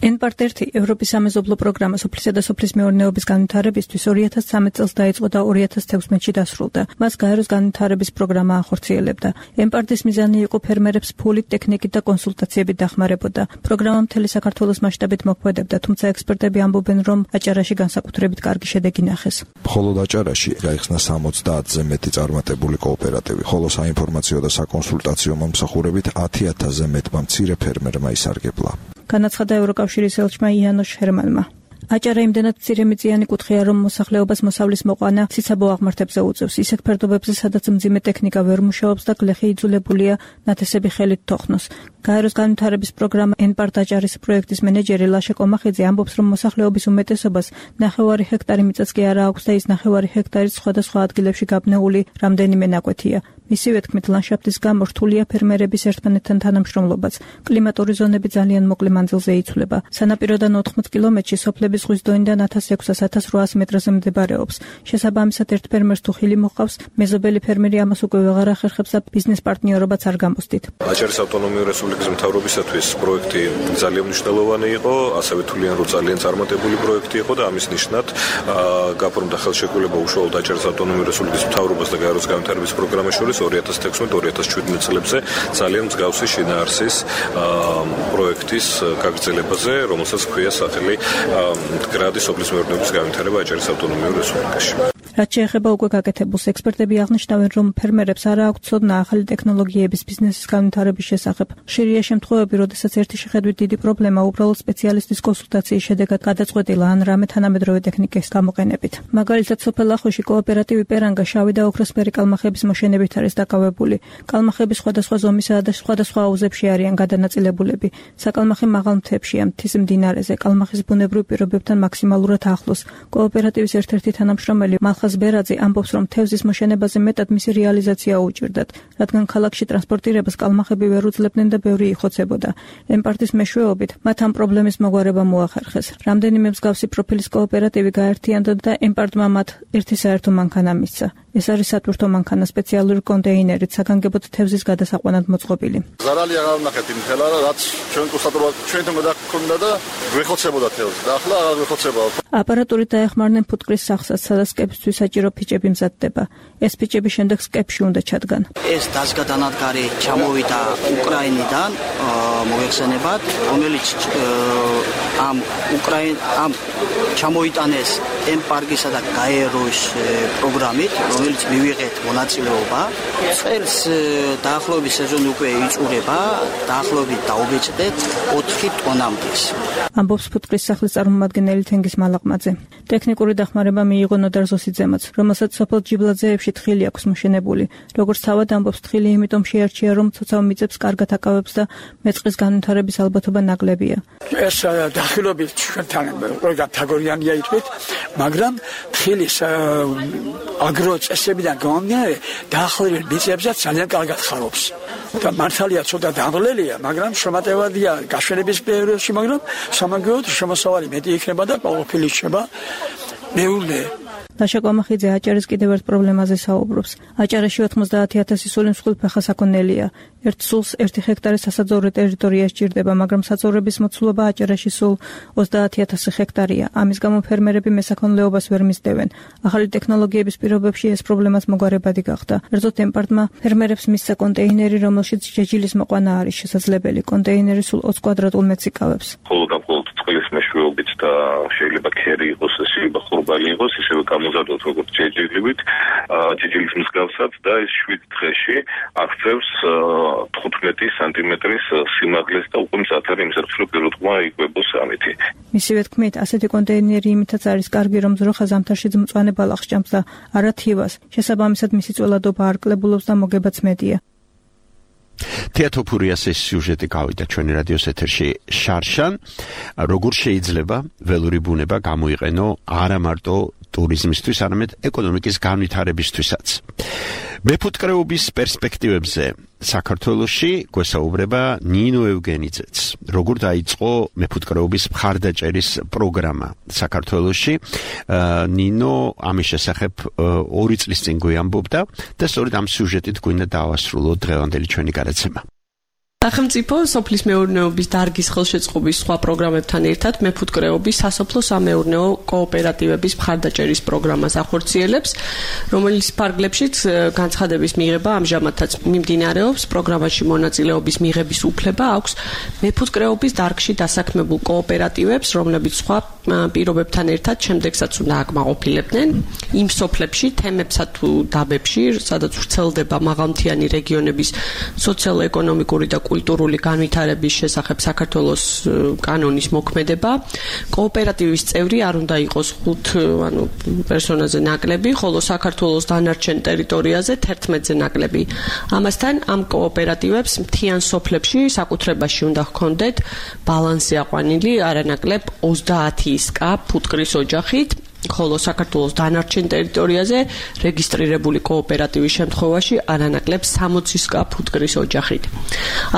[SPEAKER 11] N-Part-1 ევროპის სამეზობლო პროგრამა სოფლისა და სოფლის მეურნეობის განვითარებისთვის 2013 წელს დაიწყო და 2016-ში დასრულდა. მას გაეროს განვითარების პროგრამა ახორციელებდა. N-Part-ის მიზანი იყო ფერმერებს ფულით, ტექნიკით და კონსულტაციებით დახმარებოდა. პროგრამა მთელი საქართველოს მასშტაბით მოქმედებდა, თუმცა ექსპერტები ამბობენ, რომ აჭარაში განსაკუთრებით კარგი შედეგი ნახეს.
[SPEAKER 12] მხოლოდ აჭარაში გაიხსნა 70-ზე მეტი წარმატებული კოოპერატივი, ხოლო საინფორმაციო და საკონსულტაციო მომსახურებით 10,000-ზე მეტმა მცირე ფერმერმა ისარგებლა.
[SPEAKER 11] განაცხადა ევროკავშირის ელჩმა იანოშ ჰერმანმა. აჭარა იმდენად მცირემიწიანი კუთხეა, რომ მოსახლეობას მოსავლის მოყვანა ციცაბო აღმართებზე უწევს. ისეთ ფერდობებზე, სადაც მძიმე ტექნიკა ვერ მუშაობს და გლეხი იძულებულია ნათესები ხელით თოხნოს. გაეროს განვითარების პროგრამა N-Part აჭარის პროექტის მენეჯერი ლაშა კომახიძე ამბობს, რომ მოსახლეობის უმეტესობას 9 ჰექტარი მიწაც კი არა აქვს და ის 9 ჰექტარიც სხვადასხვა ადგილებში გაბნეული რამდენიმე ნაკვეთია. მისივე თქმით, ლანდშაფტის გამო რთულია ფერმერების ერთმანეთთან თანამშრომლობაც. კლიმატური ზონები ძალიან მოკლე მანძილზე იცვლება. სანაპიროდან 80 კილომეტრში სოფლების ზღვის დონიდან 1600-1800 მეტრზე მდებარეობს. შესაბამისად, ერთ ფერმერს თუ ხილი მოჰყავს, მეზობელი ფერმერი ამას უკვე ვეღარ ახერხებს და ბიზნეს პარტნიორობაც არ გამოსდით.
[SPEAKER 13] აჭარის ავტონომიური რესპუბლიკის მთავრობისათვის პროექტი ძალიან მნიშვნელოვანი იყო, ასევე თვლიან, რომ ძალიან წარმატებული პროექტი იყო და ამის ნიშნად გაფორმდა ხელშეკრულება უშუალოდ აჭარის ავტონომიური რესპუბლიკის მთავრობას და გაეროს განვითარების პროგრამას შორის 2016-2017 წლებზე ძალიან მსგავსი შინაარსის პროექტის გაგრძელებაზე, რომელსაც ჰქვია სახელი მდგრადი სოფლის მეურნეობის განვითარება აჭარის ავტონომიურ რესპუბლიკაში.
[SPEAKER 11] რაც შეეხება უკვე გაკეთებულს, ექსპერტები აღნიშნავენ, რომ ფერმერებს არ აქვთ ცოდნა ახალი ტექნოლოგიების ბიზნესის განვითარების შესახებ. ხშირია შემთხვევები, როდესაც ერთი შეხედვით დიდი პრობლემა უბრალოდ სპეციალისტის კონსულტაციის შედეგად გადაწყვეტილა ან რამე თანამედროვე ტექნიკის გამოყენებით. მაგალითად, სოფელ ახოში კოოპერატივი პერანგა შავი და ოქროსფერი კალმახების მოშენებით არის დაკავებული. კალმახები სხვადასხვა ზომისაა და სხვადასხვა აუზებში არიან გადანაწილებულები. საკალმახი მაღალ მთებშია, მთის მდინარეზე, კალმახის ბუნებრივ პირობებთან მაქსიმალურად ახლოს. კოოპერატივის ერთ-ერთი თანამშრომელი ხაზ ბერაძე ამბობს, რომ თევზის მოშენებაზე მეტად მისი რეალიზაცია უჭირდათ, რადგან ქალაქში ტრანსპორტირებას კალმახები ვერ უძლებდნენ და ბევრი იხოცებოდა. N-Part-ის მეშვეობით მათ ამ პრობლემის მოგვარება მოახერხეს. რამდენიმე მსგავსი პროფილის კოოპერატივი გაერთიანდა და N-Part-მა მათ ერთი საერთო მანქანა მისცა. ეს არის სატვირთო მანქანა სპეციალური კონტეინერით, საგანგებოდ თევზის გადასაყვანად მოწყობილი.
[SPEAKER 14] ზარალი აღარ ვნახეთ იმ ხელა, რაც ჩვენ კონსტატურად ჩვენთან გადაგქონდა და ვეხოცებოდა თევზი და ახლა აღარ ვეხოცება.
[SPEAKER 11] აპარატურით დაეხმარნენ ფუტკრის სახსაც, სადაც კეფისთვის საჭირო ფიჭები მზადდება. ეს ფიჭები შემდეგ სკეპში უნდა ჩადგან.
[SPEAKER 15] ეს დაზგა დანადგარი ჩამოვიდა უკრაინიდან მოიხსენებათ, რომელიც ამ ჩამოიტანეს N-Part-ისა და გაეროს პროგრამით, რომელიც მივიღეთ მონაწილეობა. წელს დაახლოებით სეზონი უკვე იწურება, დაახლოებით დაუბეჭდეთ 4 ტონამდე.
[SPEAKER 11] ამბობს ფუტკრის სახლის წარმომადგენელი თენგის მალაყმაძე. ტექნიკური დახმარება მიიღო ნოდარ ზოსიძემაც, რომელსაც სოფელ ჯიბლაძეებში თხილი აქვს მოშენებული. როგორც თავად ამბობს, თხილი იმიტომ შეარჩია, რომ ცოცავ მიწებს კარგად აკავებს და მეწყრის განვითარების ალბათობა ნაკლებია.
[SPEAKER 16] ეს დახილობით ჩვენთან ყველგან თაგორიანია იტყვით, მაგრამ თხილის აგრო წესებიდან გამომდინარე დაახლოებით მიწებსაც ძალიან კარგად ხარობს. და მართალია ცოტა დამღლელია, მაგრამ შემატევადია გაშვენების პერიოდში, მაგრამ სამაგიეროდ შემოსავალი მეტი იქნება და ყოველფერი იქნება მეურნე.
[SPEAKER 11] ლაშა კომახიძე აჭარის კიდევ ერთ პრობლემაზე საუბრობს. აჭარაში 90,000 სული მსხვილფეხა საქონელია. ერთ სულს 1 ჰექტარი სასაძოვრო ტერიტორია სჭირდება, მაგრამ საძოვრების მოცულობა აჭარაში სულ 30,000 ჰექტარია. ამის გამო ფერმერები მესაქონლეობას ვერ მისდევენ. ახალი ტექნოლოგიების პირობებში ეს პრობლემაც მოგვარებადი გახდა. ერთზოთ N-Part-მა ფერმერებს მისცა კონტეინერი, რომელშიც ჯეჯილის მოყვანა არის შესაძლებელი. კონტეინერი სულ 20 კვადრატულ მეტრს იკავებს.
[SPEAKER 5] მხოლოდ წყლის მეშვეობით და შეიძლება ქერი იყოს, შეიძლება ხურბალი იყოს, ისევე გამოზარდოთ როგორც ჯეჯილივით, ჯეჯილის მსგავსად და ეს 7 დღეში აღწევს 15 სანტიმეტრის სიმაღლეს და უკვე მზად არის იმის რომ პირუტყმა იკვებოს ამითი.
[SPEAKER 11] მისივე თქმით, ასეთი კონტეინერი იმითაც არის კარგი, რომ ძროხა ზამთარში მწვანე ბალახს ჭამს და არა თივას. შესაბამისად მისი წველადობა არ კლებულობს და მოგებაც მეტია.
[SPEAKER 3] თეატოფურიას ეს სიუჟეტი გავიდა ჩვენი რადიოს ეთერში შარშან, როგორ შეიძლება ველური ბუნება გამოიყენო არა მარტო ტურიზმისთვის, არამედ ეკონომიკის განვითარებისთვისაც. მეფუტკრეობის პერსპექტივებზე საქართველოში გვესაუბრება ნინო ევგენიძეც. როგორ დაიწყო მეფუტკრეობის მხარდაჭერის პროგრამა საქართველოში? ნინო ამის შესახებ 2 წლის წინ გვიამბობდა და სწორედ ამ სიუჟეტით გვინდა დავასრულოთ დღევანდელი ჩვენი გადაცემა.
[SPEAKER 17] სახელმწიფო სოფლის მეურნეობის დარგის ხელშეწყობის სხვა პროგრამებთან ერთად მეფუტკრეობის სასოფლო-სამეურნეო კოოპერატივების მხარდაჭერის პროგრამას ახორციელებს, რომელიც ფარგლებშიც განცხადების მიღება ამჟამადაც მიმდინარეობს. პროგრამაში მონაწილეობის მიღების უფლება აქვს მეფუტკრეობის დარგში დასაქმებულ კოოპერატივებს, რომლებიც სხვა პირობებთან ერთად შემდეგსაც უნდა აკმაყოფილებდნენ იმ სოფლებში, თემებსა თუ დაბებში, სადაც ვრცელდება მაღალმთიანი რეგიონების სოციალურ-ეკონომიკური და კულტურული განვითარების შესახებ საქართველოს კანონის მოქმედება. კოოპერატივის წევრი არ უნდა იყოს 5 პერსონაზე ნაკლები, ხოლო საქართველოს დანარჩენ ტერიტორიაზე 11-ზე ნაკლები. ამასთან ამ კოოპერატივებს მთიან სოფლებში საკუთრებაში უნდა ჰქონდეთ ბალანსი აყვანილი არანაკლებ 30 კა ფუტკრის ოჯახით, ხოლო საქართველოს დანარჩენ ტერიტორიაზე რეგისტრირებული კოოპერატივის შემთხვევაში არანაკლებ 60 კა ფუტკრის ოჯახით.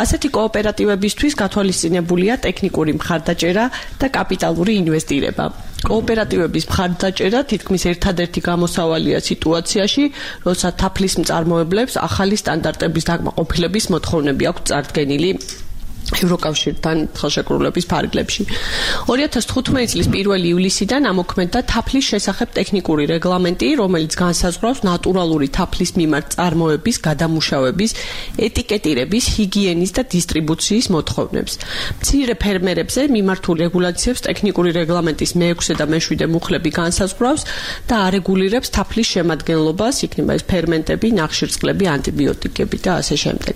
[SPEAKER 17] ასეთი კოოპერატივებისთვის გათვალისწინებულია ტექნიკური მხარდაჭერა და კაპიტალური ინვესტირება. კოოპერატივების მხარდაჭერა თითქმის ერთადერთი გამოსავალია სიტუაციაში, როცა თაფლის მწარმოებლებს ახალი სტანდარტების დაკმაყოფილების მოთხოვნები აქვს წარდგენილი ევროკავშირთან ხელშეკრულების ფარგლებში. 2015 წლის 1 ივლისიდან ამოქმედდა თაფლის შესახებ ტექნიკური რეგლამენტი, რომელიც განსაზღვრავს ნატურალური თაფლის მიმართ წარმოების, გადამუშავების, ეტიკეტირების, ჰიგიენის და დისტრიბუციის მოთხოვნებს. მცირე ფერმერებზე მიმართულ რეგულაციებს ტექნიკური რეგლამენტის მე-6 და მე-7 მუხლები განსაზღვრავს და არეგულირებს თაფლის შემადგენლობას, იქნება ეს ფერმენტები, ნახშირწყლები, ანტიბიოტიკები და ასე შემდეგ.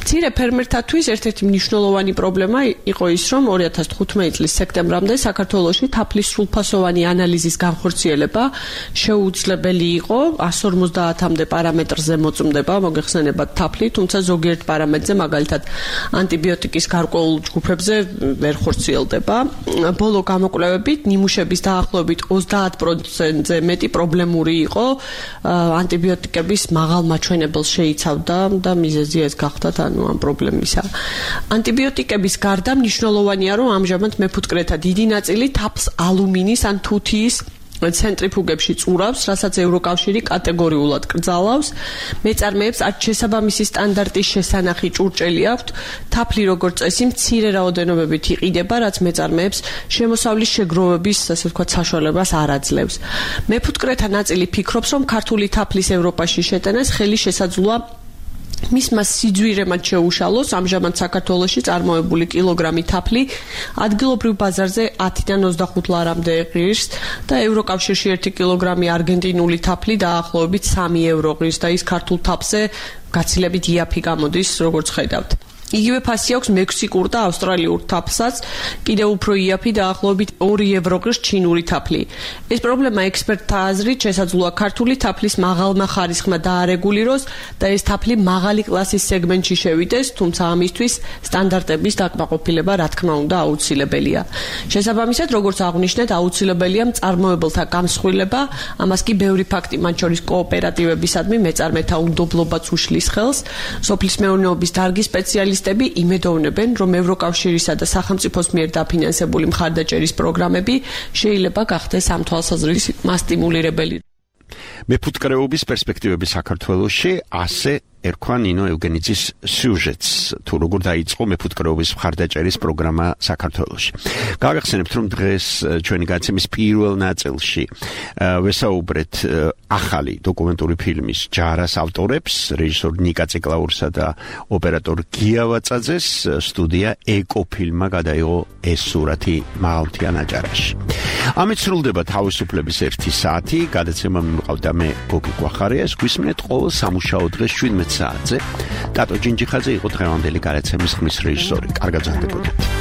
[SPEAKER 17] მცირე ფერმერთათვის ერთ-ერთი მნიშვნელოვანი პრობლემა იყო ის, რომ 2015 წლის სექტემბრამდე საქართველოში თაფლის სრულფასოვანი ანალიზის განხორციელება შეუძლებელი იყო. 150-მდე პარამეტრზე მოწმდება, მოგეხსენებათ თაფლი, თუმცა ზოგიერთ პარამეტრზე, მაგალითად ანტიბიოტიკის გარკვეულ ჯგუფებზე ვერ ხორციელდება. ბოლო გამოკვლევებით ნიმუშების დაახლოებით 30%-ზე მეტი პრობლემური იყო. ანტიბიოტიკების მაღალ მაჩვენებელს შეიცავდა და მიზეზი ეს გახდა ამ პრობლემისა. ანტიბიოტიკების გარდა მნიშვნელოვანია, რომ ამჟამად მეფუტკრეთა დიდი ნაწილი თაფლს ალუმინის ან თუთიის ცენტრიფუგებში წურავს, რასაც ევროკავშირი კატეგორიულად კრძალავს. მეწარმეებს არც შესაბამისი სტანდარტის შესანახი ჭურჭელი აქვთ. თაფლი როგორც წესი მცირე რაოდენობებით იყიდება, რაც მეწარმეებს შემოსავლის შეგროვების, ასე ვთქვათ, საშუალებას არ აძლევს. მეფუტკრეთა ნაწილი ფიქრობს, რომ ქართული თაფლის ევროპაში შეტანას ხელი შესაძლოა მისმა სიძვირემად შეუშალოს. ამჟამად საქართველოში წარმოებული კილოგრამი თაფლი ადგილობრივ ბაზარზე 10-დან 25 ლარამდე ღირს და ევროკავშირში 1 კილოგრამი არგენტინული თაფლი დაახლოებით 3 евро ღირს და ის ქართულ თაფლზე გაცილებით იაფი გამოდის, როგორც ხედავთ. იგივე ფასი აქვს მექსიკურ და ავსტრალიურ თაფლსაც, კიდევ უფრო იაფი დაახლოებით 2 евро ღირს ჩინური თაფლი. ეს პრობლემა ექსპერტთა აზრით შესაძლოა ქართული თაფლის მაღალმა ხარისხმა დაარეგულიროს და ეს თაფლი მაღალი კლასის სეგმენტში შევიდეს, თუმცა ამისთვის სტანდარტების დაკმაყოფილება რა თქმა უნდა აუცილებელია. შესაბამისად, როგორც აღვნიშნეთ, აუცილებელია მწარმოებელთა გამსხვილება, ამას კი ბევრი ფაქტი, მათ შორის კოოპერატივებისადმი მეწარმეთა უნდობლობაც უშლის ხელს. სოფლის მეურნეობის დარგის სპეციალისტები იმედოვნებენ, რომ ევროკავშირისა და სახელმწიფოს მიერ დაფინანსებული მხარდაჭერის პროგრამები შეიძლება გახდეს ამ თვალსაზრისით მასტიმულირებელი.
[SPEAKER 3] მეფუტკრეობის პერსპექტივები საქართველოში ასე ერქვა ნინო ევგენიძის სიუჟეტს, თუ როგორ დაიწყო მეფუტკრეობის მხარდაჭერის პროგრამა საქართველოში. გავიხსენებთ, რომ დღეს ჩვენი გადაცემის პირველ ნაწილში ვესაუბრეთ ახალი დოკუმენტური ფილმის ჯარას ავტორებს, რეჟისორ ნიკა ციკლაურსა და ოპერატორ გია ვაწაძეს. სტუდია ეკოფილმა გადაიღო ეს სურათი მაღალმთიან აჭარაში. ამით სრულდება თავისუფლების 1 საათი. გადაცემა მიმყავდა მე გოგი გვახარიას. გვისმენთ ყოველ სამუშაო დღეს 17 საათზე. ტატო ჯინჯიხაძე იყო დღევანდელი გადაცემის ხმის რეჟისორი. კარგად გრძელდებოდეთ.